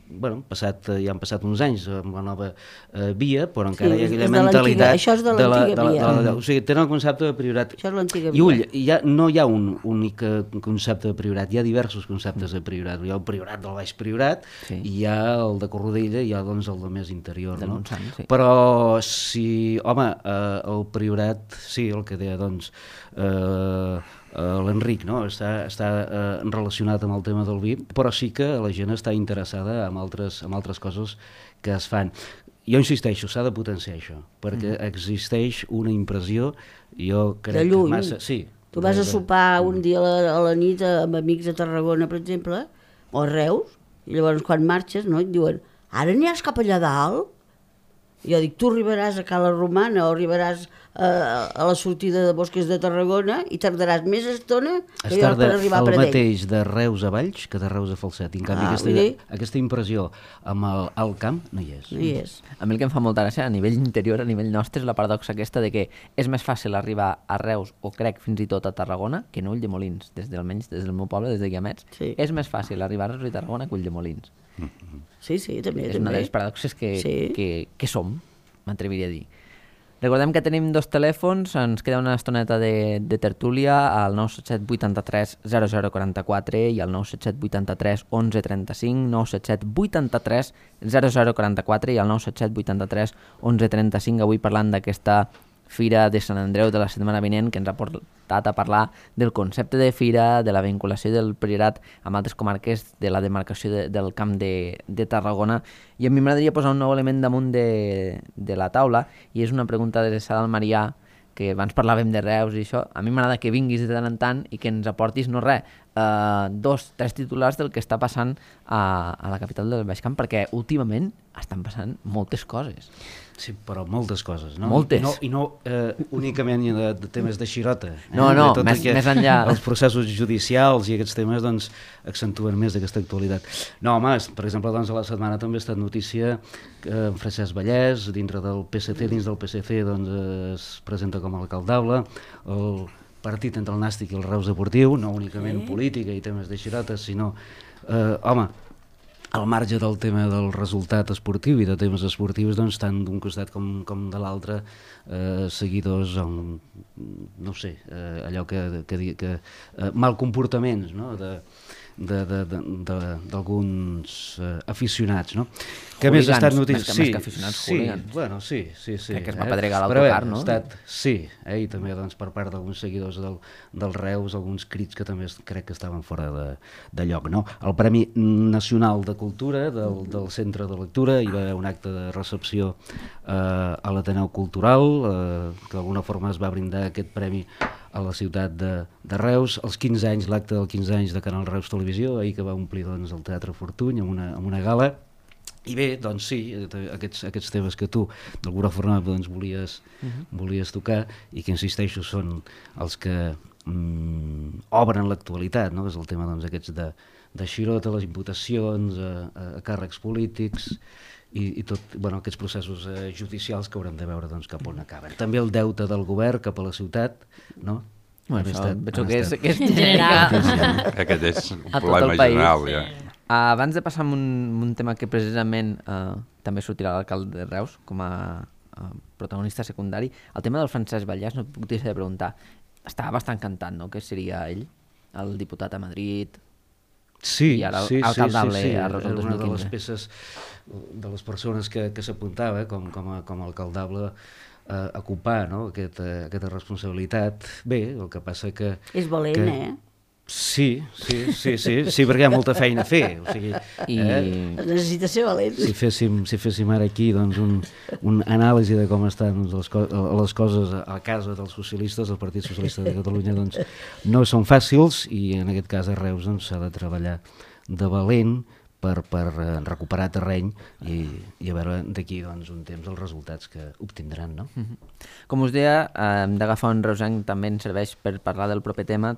bueno, passat, ja han passat uns anys amb la nova eh, via, però encara Sí, hi ha aquella és de l'antiga- mentalitat... això és de la- l'antiga de la- via. de la- O sigui, tenen el concepte de prioritat. Això és l'antiga I ull, via. hi ha, no hi ha un únic eh, concepte de prioritat, hi ha diversos conceptes de prioritat. Hi ha el priorat del Baix Priorat, Sí. i hi ha el de Corrodella, i hi ha doncs, el de més interior. Del No? Montsant, sí. Però si, home, eh, el priorat, sí, el que deia, doncs, eh, eh, l'Enric, no? està, està eh, relacionat amb el tema del vi, però sí que la gent està interessada en altres, en altres coses que es fan. Jo insisteixo, s'ha de potenciar això, perquè mm. existeix una impressió, jo crec De lluny. que massa... Sí, Tu vas de- a de- sopar un dia a la, a la nit amb amics a Tarragona, per exemple, o a Reus, i llavors quan marxes, no, et diuen, ara aniràs cap allà dalt? I jo dic, tu arribaràs a Cala Romana o arribaràs a, a la sortida de Bosques de Tarragona i tardaràs més estona que Es jo tarda per arribar a el Pradell. mateix de Reus a Valls que de Reus a Falset. I en canvi Ah, aquesta, vull dir- aquesta impressió amb el alt camp no hi és. No hi és. A mi el que em fa molta gràcia a nivell interior, a nivell nostre, és la paradoxa aquesta de que és més fàcil arribar a Reus, o crec fins i tot a Tarragona, que no a Ulldemolins, des del, almenys des del meu poble, des de Guiamets. Sí. És més fàcil arribar a Reus i Tarragona que a Ulldemolins. Sí, sí, també. És també. una de les paradoxes que, Sí. que, que som, m'atreviria a dir. Recordem que tenim dos telèfons, ens queda una estoneta de, de tertúlia al nou set set vuitanta-tres zero zero quaranta-quatre i al nou set set vuitanta-tres onze trenta-cinc, nou set set vuitanta-tres zero zero quaranta-quatre i al nou set set vuitanta-tres onze trenta-cinc, avui parlant d'aquesta Fira de Sant Andreu de la setmana vinent, que ens ha portat a parlar del concepte de fira, de la vinculació del Priorat amb altres comarques de la demarcació de, del Camp de, de Tarragona. I a mi m'agradaria posar un nou element damunt de, de la taula, i és una pregunta adreçada al Marià, que abans parlàvem de Reus i això. A mi m'agrada que vinguis de tant en tant i que ens aportis, no res, eh, dos, tres titulars del que està passant a, a la capital del Baix Camp, perquè últimament estan passant moltes coses. Sí, però moltes coses, no? Moltes. I no, i no eh, únicament de, de temes de xirota. Eh? No, no, De tot més- aquest- més enllà. Els processos judicials i aquests temes doncs, accentuen més aquesta actualitat. No, home, per exemple, doncs, a la setmana també ha estat notícia que en Francesc Vallès, dintre del P S C, dins del P S C, doncs, es presenta com a alcaldable. El partit entre el Nàstic i el Reus Deportiu, no únicament política i temes de xirotes, sinó, eh, home, al marge del tema del resultat esportiu i de temes esportius, doncs, tant d'un costat com, com de l'altre, eh, seguidors amb, no sé, eh, allò que, que, que, que eh, mal comportaments, no?, de, de, de, de, de, d'alguns eh, aficionats, no? Que a més ha estat Hooligans, notícia... més que- sí, més que aficionats, sí, hooligans. bueno, sí, sí, sí. Que es va eh? pedregar Però bé, l'autocar, no? ha estat, sí, eh? I també doncs, per part d'alguns seguidors del, del Reus, alguns crits que també es- crec que estaven fora de, de lloc, no? El Premi Nacional de Cultura del, del Centre de Lectura, hi va haver un acte de recepció eh, a l'Ateneu Cultural, eh, que d'alguna forma es va brindar aquest premi a la ciutat de, de Reus, els quinze anys, l'acte dels quinze anys de Canal Reus Televisió, ahir que va omplir doncs, el Teatre Fortuny amb una, amb una gala. I bé, doncs sí, aquests, aquests temes que tu d'alguna forma doncs, volies, uh-huh. volies tocar i que, insisteixo, són els que mm, obren l'actualitat, no? És el tema doncs, aquests de, de xirota, les imputacions a, a, a càrrecs polítics i, i tot, bueno, aquests processos eh, judicials que haurem de veure doncs, cap on acaben. També el deute del govern cap a la ciutat, no? Bueno, Han això, estat- penso han que és, estat- que és general. Aquest és un A tot problema el país. general, ja. Uh, abans de passar a un, un tema que precisament uh, també sortirà l'alcalde de Reus com a uh, protagonista secundari, el tema del Francesc Vallès, no puc deixar de preguntar, estava bastant cantant, no?, que seria ell, el diputat a Madrid. Sí, I ara sí, sí, alcaldable sí, sí. a Reus el Era una de dos mil les quinze. peces, de les persones que, que s'apuntava com, com, a, com a alcaldable a, a ocupar, no?, Aquest, eh, aquesta responsabilitat. Bé, el que passa que... És valent, que... eh? Sí, sí, sí, sí, sí, perquè hi ha molta feina a fer. O sigui, I eh? Necessita ser valent. si, féssim, si féssim ara aquí doncs, un, un anàlisi de com estan doncs, les, co les coses a casa dels socialistes, del Partit Socialista de Catalunya, doncs, no són fàcils i en aquest cas a Reus s'ha doncs, de treballar de valent per, per eh, recuperar terreny i, i a veure d'aquí doncs, un temps els resultats que obtindran. No? Com us deia, eh, hem d'agafar un reusenc, també ens serveix per parlar del proper tema,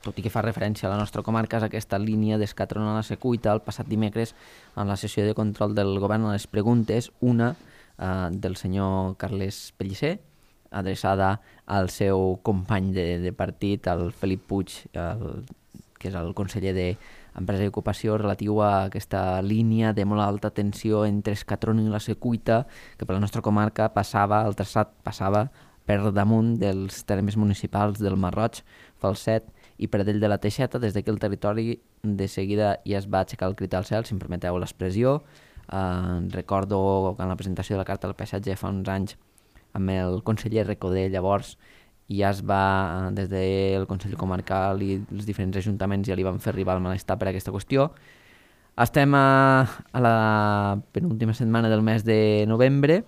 tot i que fa referència a la nostra comarca, és aquesta línia d'escatrona a la Secuita. El passat dimecres, en la sessió de control del govern, a les preguntes, una eh, del senyor Carles Pellicer, adreçada al seu company de, de partit, el Felip Puig, el, que és el conseller de Empresa i Ocupació, relatiu a aquesta línia de molt alta tensió entre Escatrón i la Secuita, que per la nostra comarca passava, el traçat passava per damunt dels termes municipals del Marroig, Falset i Pradell de la Teixeta. Des d'aquí el territori de seguida ja es va aixecar el crit al cel, si em permeteu l'expressió. Eh, recordo que en la presentació de la Carta del Paisatge fa uns anys amb el conseller Recoder, llavors ja es va, des del Consell Comarcal i els diferents ajuntaments ja li van fer arribar el malestar per aquesta qüestió. Estem a, a la penúltima setmana del mes de novembre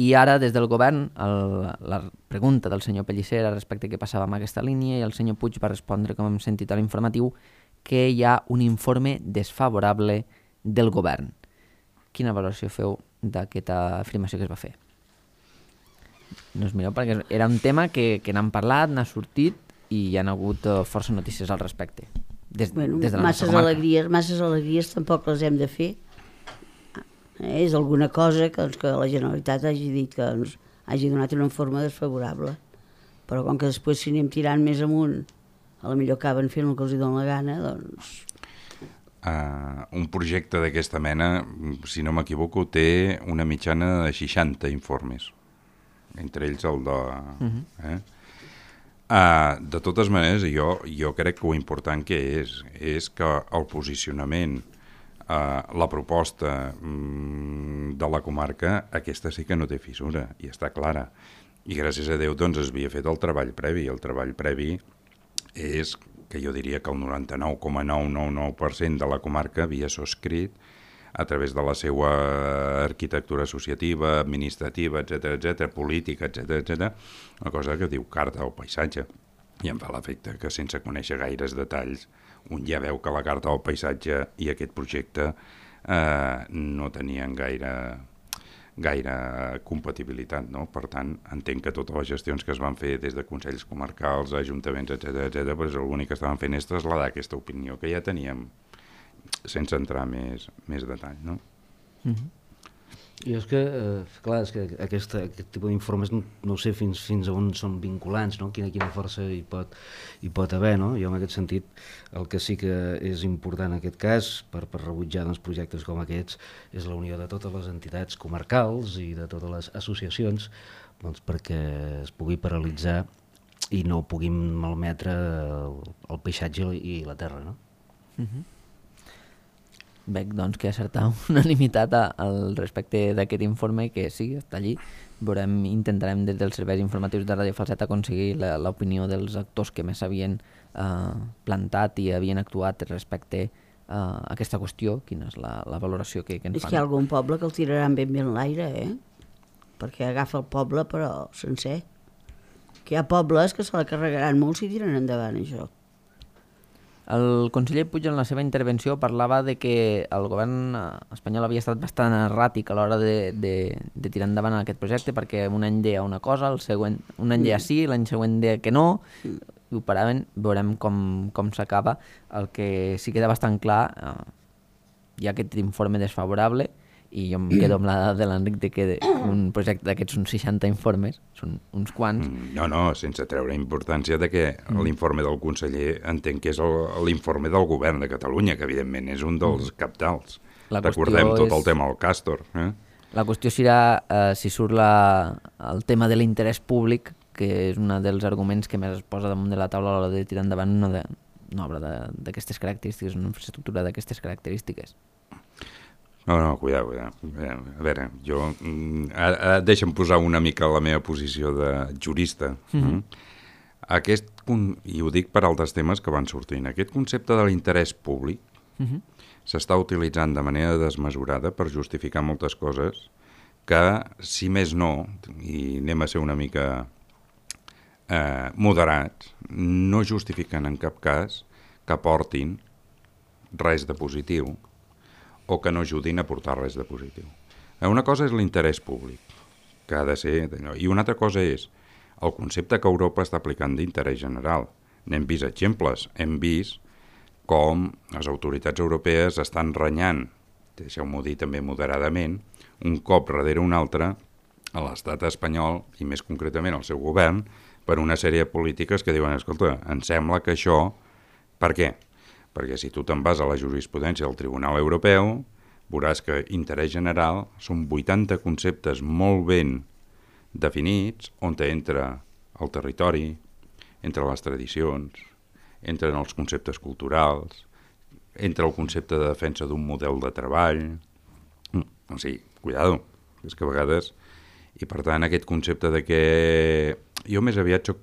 i ara des del govern el, la pregunta del senyor Pellicer respecte a què passava amb aquesta línia i el senyor Puig va respondre, com hem sentit a l'informatiu, que hi ha un informe desfavorable del govern. Quina valoració feu d'aquesta afirmació que es va fer? No us mireu perquè era un tema que, que n'han parlat, n'ha sortit i hi ha hagut uh, força notícies al respecte. Des, bueno, des de la masses alegries, masses alegries tampoc les hem de fer. Eh, és alguna cosa que, doncs, que la Generalitat hagi dit que ens hagi donat una forma desfavorable. Però com que després si anem tirant més amunt, a la millor acaben fent el que els hi dona la gana, doncs... Uh, un projecte d'aquesta mena, si no m'equivoco, té una mitjana de seixanta informes, entre ells el de... Uh-huh. eh? uh, de totes maneres, jo, jo crec que ho important que és, és que el posicionament, uh, la proposta um, de la comarca, aquesta sí que no té fissura, i està clara. I gràcies a Déu doncs es havia fet el treball previ. El treball previ és que jo diria que el noranta-nou coma nou nou nou per cent de la comarca havia subscrit a través de la seva arquitectura associativa, administrativa, etcètera, etcètera, política, etcètera, etcètera, una cosa que diu Carta del Paisatge. I em fa l'efecte que sense conèixer gaires detalls, un ja veu que la Carta del Paisatge i aquest projecte eh, no tenien gaire... gaire compatibilitat, no? Per tant, entenc que totes les gestions que es van fer des de consells comarcals, ajuntaments, etcètera, etcètera, doncs l'únic que estaven fent és traslladar aquesta opinió que ja teníem sense entrar més, més detall, no? Mm-hmm. I és que, eh, clar, és que aquesta, aquest tipus d'informes no, no sé fins, fins a on són vinculants, no? Quina, quina força hi pot, hi pot haver, no? Jo en aquest sentit el que sí que és important en aquest cas per, per rebutjar doncs, projectes com aquests és la unió de totes les entitats comarcals i de totes les associacions doncs, perquè es pugui paralitzar i no puguin malmetre el, el paisatge i la terra, no? Mm-hmm. Veig doncs, que hi ha certa unanimitat al respecte d'aquest informe que sí, està allí. Veurem, intentarem des dels serveis informatius de Ràdio Falset aconseguir l'opinió dels actors que més havien eh, plantat i havien actuat respecte a aquesta qüestió. Quina és la, la valoració que, que ens fan? És fan. que hi ha algun poble que el tiraran ben bé en l'aire, eh? Perquè agafa el poble però sencer. Que hi ha pobles que se la carregaran molt si tiren endavant això. El conseller Puig en la seva intervenció parlava de que el govern espanyol havia estat bastant erràtic a l'hora de, de, de tirar endavant aquest projecte perquè un any deia una cosa, el següent, un any deia sí, l'any següent deia que no, i ho paraven, veurem com, com s'acaba. El que sí queda bastant clar, eh, hi ha aquest informe desfavorable i jo em quedo amb la dada de l'Enric de que un projecte d'aquests són seixanta informes, són uns quants. No, no, sense treure importància de que mm. l'informe del conseller entenc que és l'informe del govern de Catalunya, que evidentment és un dels mm. capdals. Recordem tot és... el tema del Càstor. Eh? La qüestió serà eh, si surt la, el tema de l'interès públic, que és un dels arguments que més es posa damunt de la taula a l'hora de tirar endavant una, de, una obra d'aquestes característiques, una infraestructura d'aquestes característiques. No, no, cuidado, cuidado. A veure, jo... Ara, ara deixa'm posar una mica la meva posició de jurista. Mm-hmm. Aquest, i ho dic per altres temes que van sortint, aquest concepte de l'interès públic mm-hmm. s'està utilitzant de manera desmesurada per justificar moltes coses que, si més no, i anem a ser una mica eh, moderats, no justifiquen en cap cas que aportin res de positiu o que no ajudin a portar res de positiu. Una cosa és l'interès públic, que ha de ser... I una altra cosa és el concepte que Europa està aplicant d'interès general. N'hem vist exemples, hem vist com les autoritats europees estan renyant, deixeu-m'ho dir també moderadament, un cop darrere un altre a l'estat espanyol, i més concretament al seu govern, per una sèrie de polítiques que diuen, escolta, em sembla que això... Per què? perquè si tu te'n vas a la jurisprudència del Tribunal Europeu, veuràs que interès general són vuitanta conceptes molt ben definits, on entra el territori, entre les tradicions, entren els conceptes culturals, entra el concepte de defensa d'un model de treball. O sigui, cuidado, és que a vegades... I per tant, aquest concepte de que... Jo més aviat soc...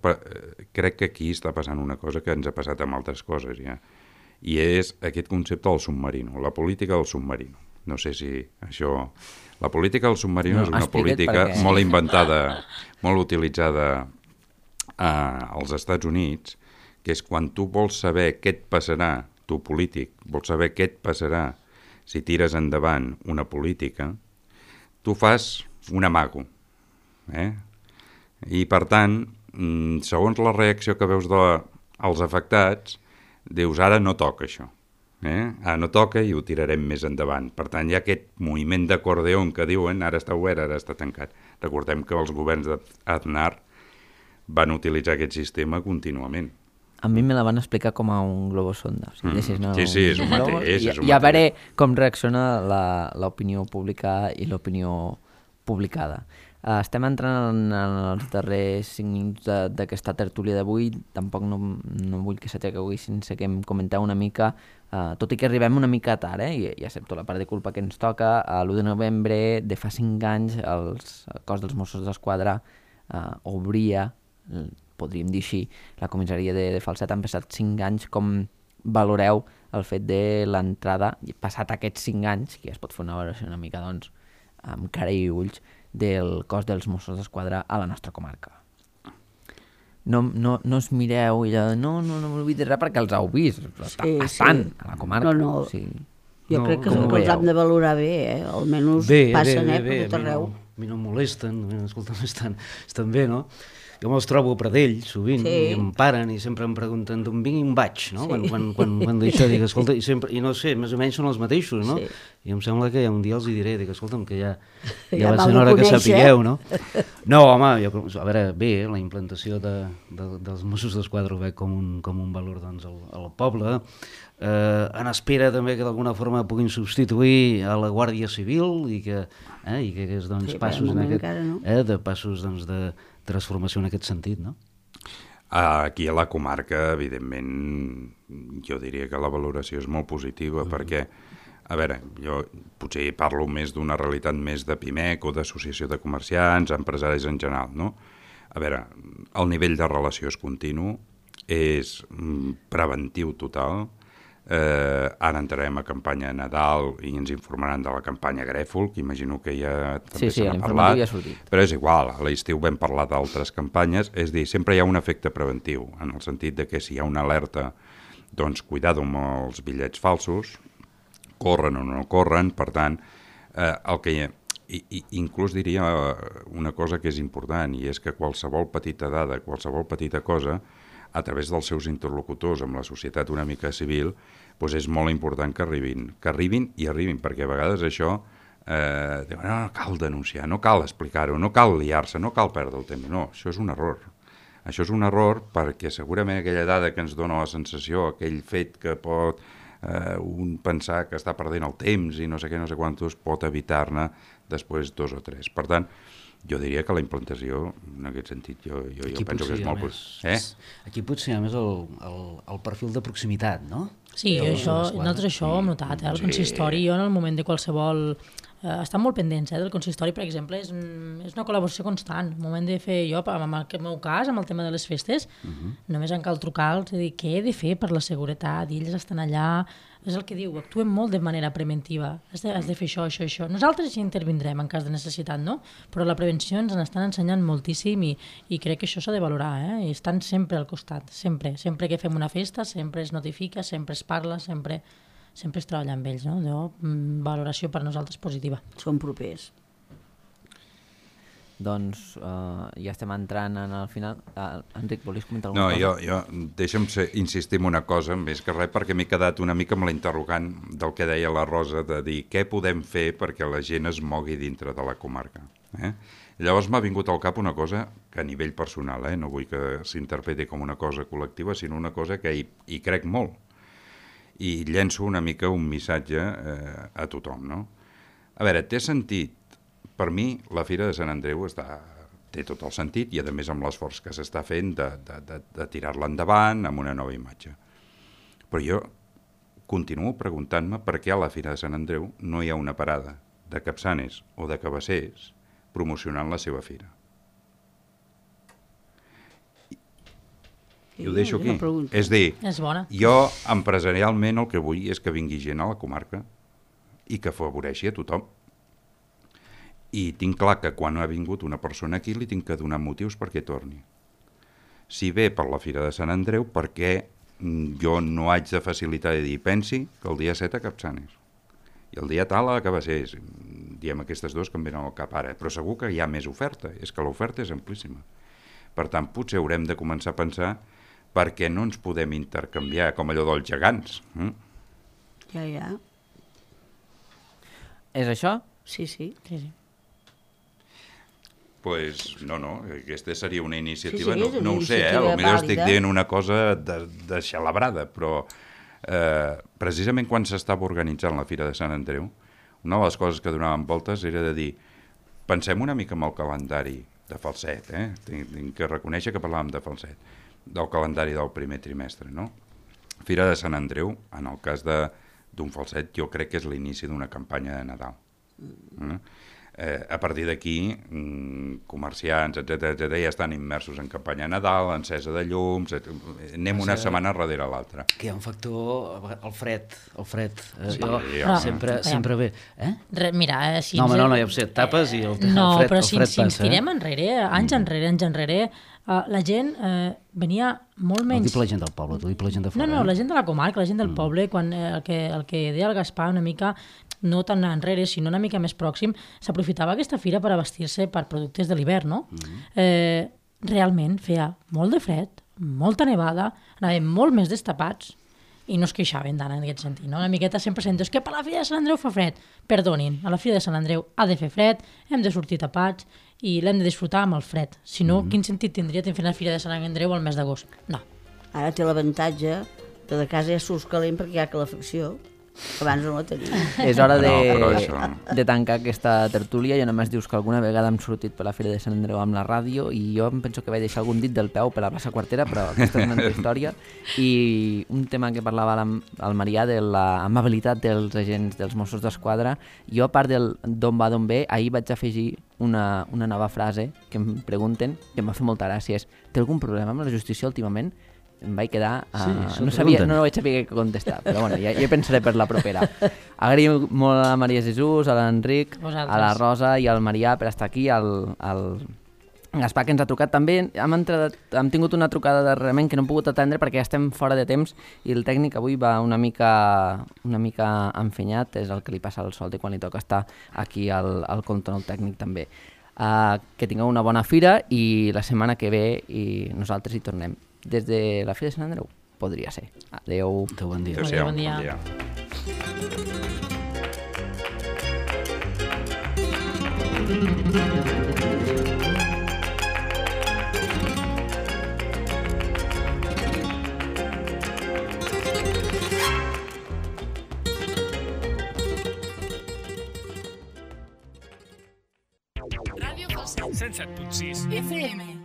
crec que aquí està passant una cosa que ens ha passat amb altres coses, ja. I és aquest concepte del submarino, la política del submarino. No sé si això... La política del submarino no, és una política perquè... molt inventada, molt utilitzada eh, als Estats Units, que és quan tu vols saber què et passarà, tu polític, vols saber què et passarà si tires endavant una política, tu fas un amago. Eh? I per tant, segons la reacció que veus dels afectats, dius, ara no toca això. Eh? Ara no toca i ho tirarem més endavant. Per tant, hi ha aquest moviment d'acordeon que diuen, ara està obert, ara està tancat. Recordem que els governs d'Aznar van utilitzar aquest sistema contínuament. A mi me la van explicar com a un globosonda. O sigui, mm. no, sí, sí, és un mateix. És un I, I a veure com reacciona l'opinió pública i l'opinió publicada. Uh, estem entrant en, en els darrers cinc minuts d'aquesta tertúlia d'avui. Tampoc no, no vull que s'aixequi avui sense que em comenteu una mica, uh, tot i que arribem una mica tard, eh? I, i accepto la part de culpa que ens toca. A l'u de novembre de fa cinc anys els, el cos dels Mossos d'Esquadra uh, obria, podríem dir així, la comissaria de, de Falset. Han passat cinc anys. Com valoreu el fet de l'entrada, passat aquests cinc anys, que ja es pot fer una valoració una mica, doncs, amb cara i ulls, del cos dels Mossos d'Esquadra a la nostra comarca? No, no, no us mireu i allò, no, no, no m'oblidi res perquè els heu vist, sí, estan sí. a la comarca. No, no. Sí. Jo no, crec que, no que els hem de valorar bé, eh? Almenys bé, passen bé, eh, bé, per tot arreu. A mi no em molesten, escolta, estan, estan bé, no? Jo me'ls trobo a Pradell, sovint, sí. i em paren i sempre em pregunten d'on vinc i on vaig, no? Sí. Quan, quan, quan, quan d'això dic, escolta, i, sempre, i no sé, més o menys són els mateixos, no? Sí. I em sembla que un dia els hi diré, dic, escolta'm, que ja, ja, ja va ser hora que sapigueu, no? No, home, jo, a veure, bé, la implantació de, de, dels Mossos d'Esquadra ho veig com un, com un valor, doncs, al, al poble, eh, en espera també que d'alguna forma puguin substituir a la Guàrdia Civil i que, eh, i que és, doncs, sí, passos en aquest, no? eh, de passos, doncs, de transformació en aquest sentit, no? Aquí a la comarca, evidentment, jo diria que la valoració és molt positiva, mm. perquè, a veure, jo potser parlo més d'una realitat més de PIMEC o d'associació de comerciants, empresaris en general, no? A veure, el nivell de relació és continu, és preventiu total. Eh, ara entrarem a campanya Nadal i ens informaran de la campanya Grèfol, que imagino que ja també sí, sí, se n'ha parlat, ja però és igual, a l'estiu vam parlar d'altres campanyes, és dir, sempre hi ha un efecte preventiu, en el sentit de que si hi ha una alerta, doncs cuidado amb els bitllets falsos, corren o no corren, per tant, eh, el que hi ha, i, i inclús diria una cosa que és important, i és que qualsevol petita dada, qualsevol petita cosa, a través dels seus interlocutors amb la societat una mica civil, doncs és molt important que arribin, que arribin i arribin, perquè a vegades això, eh, diuen, no, no cal denunciar, no cal explicar-ho, no cal liar-se, no cal perdre el temps. No, això és un error. Això és un error perquè segurament aquella dada que ens dona la sensació, aquell fet que pot eh, un pensar que està perdent el temps i no sé què, no sé quantos, pot evitar-ne després dos o tres. Per tant, jo diria que la implantació, en aquest sentit, jo, jo, jo penso que és molt... Més, eh? Aquí potser hi ha més el, el, el perfil de proximitat, no? Sí, jo això, nosaltres això ho hem notat, eh? El consistori, jo en el moment de qualsevol... Eh, estan molt pendents eh, del consistori, per exemple, és, és una col·laboració constant. El moment de fer jo, en el meu cas, amb el tema de les festes, uh-huh. només en cal trucar-los i dir què he de fer per la seguretat, i ells estan allà... És el que diu, actuem molt de manera preventiva, has de, has de fer això, això, això. Nosaltres ja intervindrem en cas de necessitat, no? Però la prevenció ens n'estan ensenyant moltíssim i, i crec que això s'ha de valorar, eh? I estan sempre al costat, sempre. Sempre que fem una festa, sempre es notifica, sempre es parla, sempre, sempre es treballa amb ells, no? Jo, valoració per nosaltres positiva. Som propers. Doncs uh, ja estem entrant en el final. Uh, Enric, volies comentar alguna no, cosa? No, jo, jo deixa'm ser, insistir en una cosa, més que res, perquè m'he quedat una mica amb l'interrogant del que deia la Rosa, de dir què podem fer perquè la gent es mogui dintre de la comarca. Eh? Llavors m'ha vingut al cap una cosa que a nivell personal, eh? No vull que s'interpreti com una cosa col·lectiva, sinó una cosa que hi, hi crec molt. i llenço una mica un missatge eh, a tothom, no? A veure, té sentit? Per mi, la Fira de Sant Andreu està, té tot el sentit i, a més, amb l'esforç que s'està fent de, de, de, de tirar-la endavant amb una nova imatge. Però jo continuo preguntant-me per què a la Fira de Sant Andreu no hi ha una parada de Capçanes o de Cabassers promocionant la seva fira. I ho deixo aquí. És dir, és bona. Jo empresarialment el que vull és que vingui gent a la comarca i que afavoreixi a tothom. I tinc clar que quan ha vingut una persona aquí li tinc que donar motius perquè torni. Si ve per la Fira de Sant Andreu, per què jo no haig de facilitar i dir, pensi que el dia set a Capçanes i el dia tal a Cabassers, diem aquestes dues que em venen al cap ara, però segur que hi ha més oferta, és que l'oferta és amplíssima. Per tant, potser haurem de començar a pensar per què no ens podem intercanviar com allò dels gegants. Mm? Ja, ja. És això? Sí, sí. Sí, sí. Pues no, no, aquesta seria una iniciativa, sí, sí, no, no ho sé, eh? Potser estic dient una cosa de, de xalabrada, però eh, precisament quan s'estava organitzant la Fira de Sant Andreu, una de les coses que donaven voltes era de dir, pensem una mica en el calendari de Falset, eh? Tinc, tinc que reconèixer que parlàvem de Falset, del calendari del primer trimestre, no? Fira de Sant Andreu, en el cas d'un Falset, jo crec que és l'inici d'una campanya de Nadal. Mm? Eh, a partir d'aquí, mm, comerciants, etcètera, etcètera, ja estan immersos en campanya de Nadal, encesa de llums, etcètera. Anem una setmana darrere l'altra. Que hi ha un factor, el fred, el fred. Eh, Sí, jo ja. sempre, Aviam. sempre bé. Eh? Re, mira, eh, si No, home, ens- no, no, ja ho sé, tapes i el, No, el fred, però el si, fred si ens passa. tirem enrere, anys enrere, anys enrere, uh, la gent uh, venia molt No menys... dic per la gent del poble, tu dic per la gent de No, fora. no, la eh? gent de la comarca, la gent del poble, quan eh, el, que, el que deia el Gaspar una mica, no tan enrere, sinó una mica més pròxim, s'aprofitava aquesta fira per abastir-se per productes de l'hivern, no? Mm-hmm. eh, realment feia molt de fred, molta nevada, anàvem molt més destapats i no es queixaven tant en aquest sentit, no? Una miqueta sempre sento, és que per la Fira de Sant Andreu fa fred. Perdonin, a la Fira de Sant Andreu ha de fer fred, hem de sortir tapats i l'hem de disfrutar amb el fred. Si no, mm-hmm. quin sentit tindria fer la Fira de Sant Andreu al mes d'agost? No. Ara té l'avantatge que de casa ja surts calent perquè hi ha calefacció, que abans no la tenia. És hora de, No, però això- de tancar aquesta tertúlia. Jo només dius que alguna vegada hem sortit per la Fira de Sant Andreu amb la ràdio i jo em penso que vaig deixar algun dit del peu per la plaça Quartera, però aquesta és una altra història. I un tema que parlava el, el Marià de l'amabilitat dels agents dels Mossos d'Esquadra, jo a part del d'on va d'on ve, ahir vaig afegir una, una nova frase que em pregunten, que em va fer molta gràcia, és: té algun problema amb la justícia últimament? Em vaig quedar... Uh, Sí, se'l no, sabia, pregunten. no vaig saber què contestar, però bueno, ja, ja pensaré per la propera. Agraïm molt a Maria Jesús, a l'Enric, Vosaltres. a la Rosa i al Marià per estar aquí, al, al Gaspar que ens ha trucat també. Hem, entrat, hem tingut una trucada darrerament que no hem pogut atendre perquè ja estem fora de temps i el tècnic avui va una mica, una mica enfenyat, és el que li passa al Solti quan li toca estar aquí al, al control tècnic també. Uh, que tingueu una bona fira i la setmana que ve i nosaltres hi tornem. Des de la Fira de Sant Andreu? Podria ser. Adéu. Adéu, bon dia. Adéu-siau, Bon dia. bon dia. Ràdio Falset. cent set punt sis F M.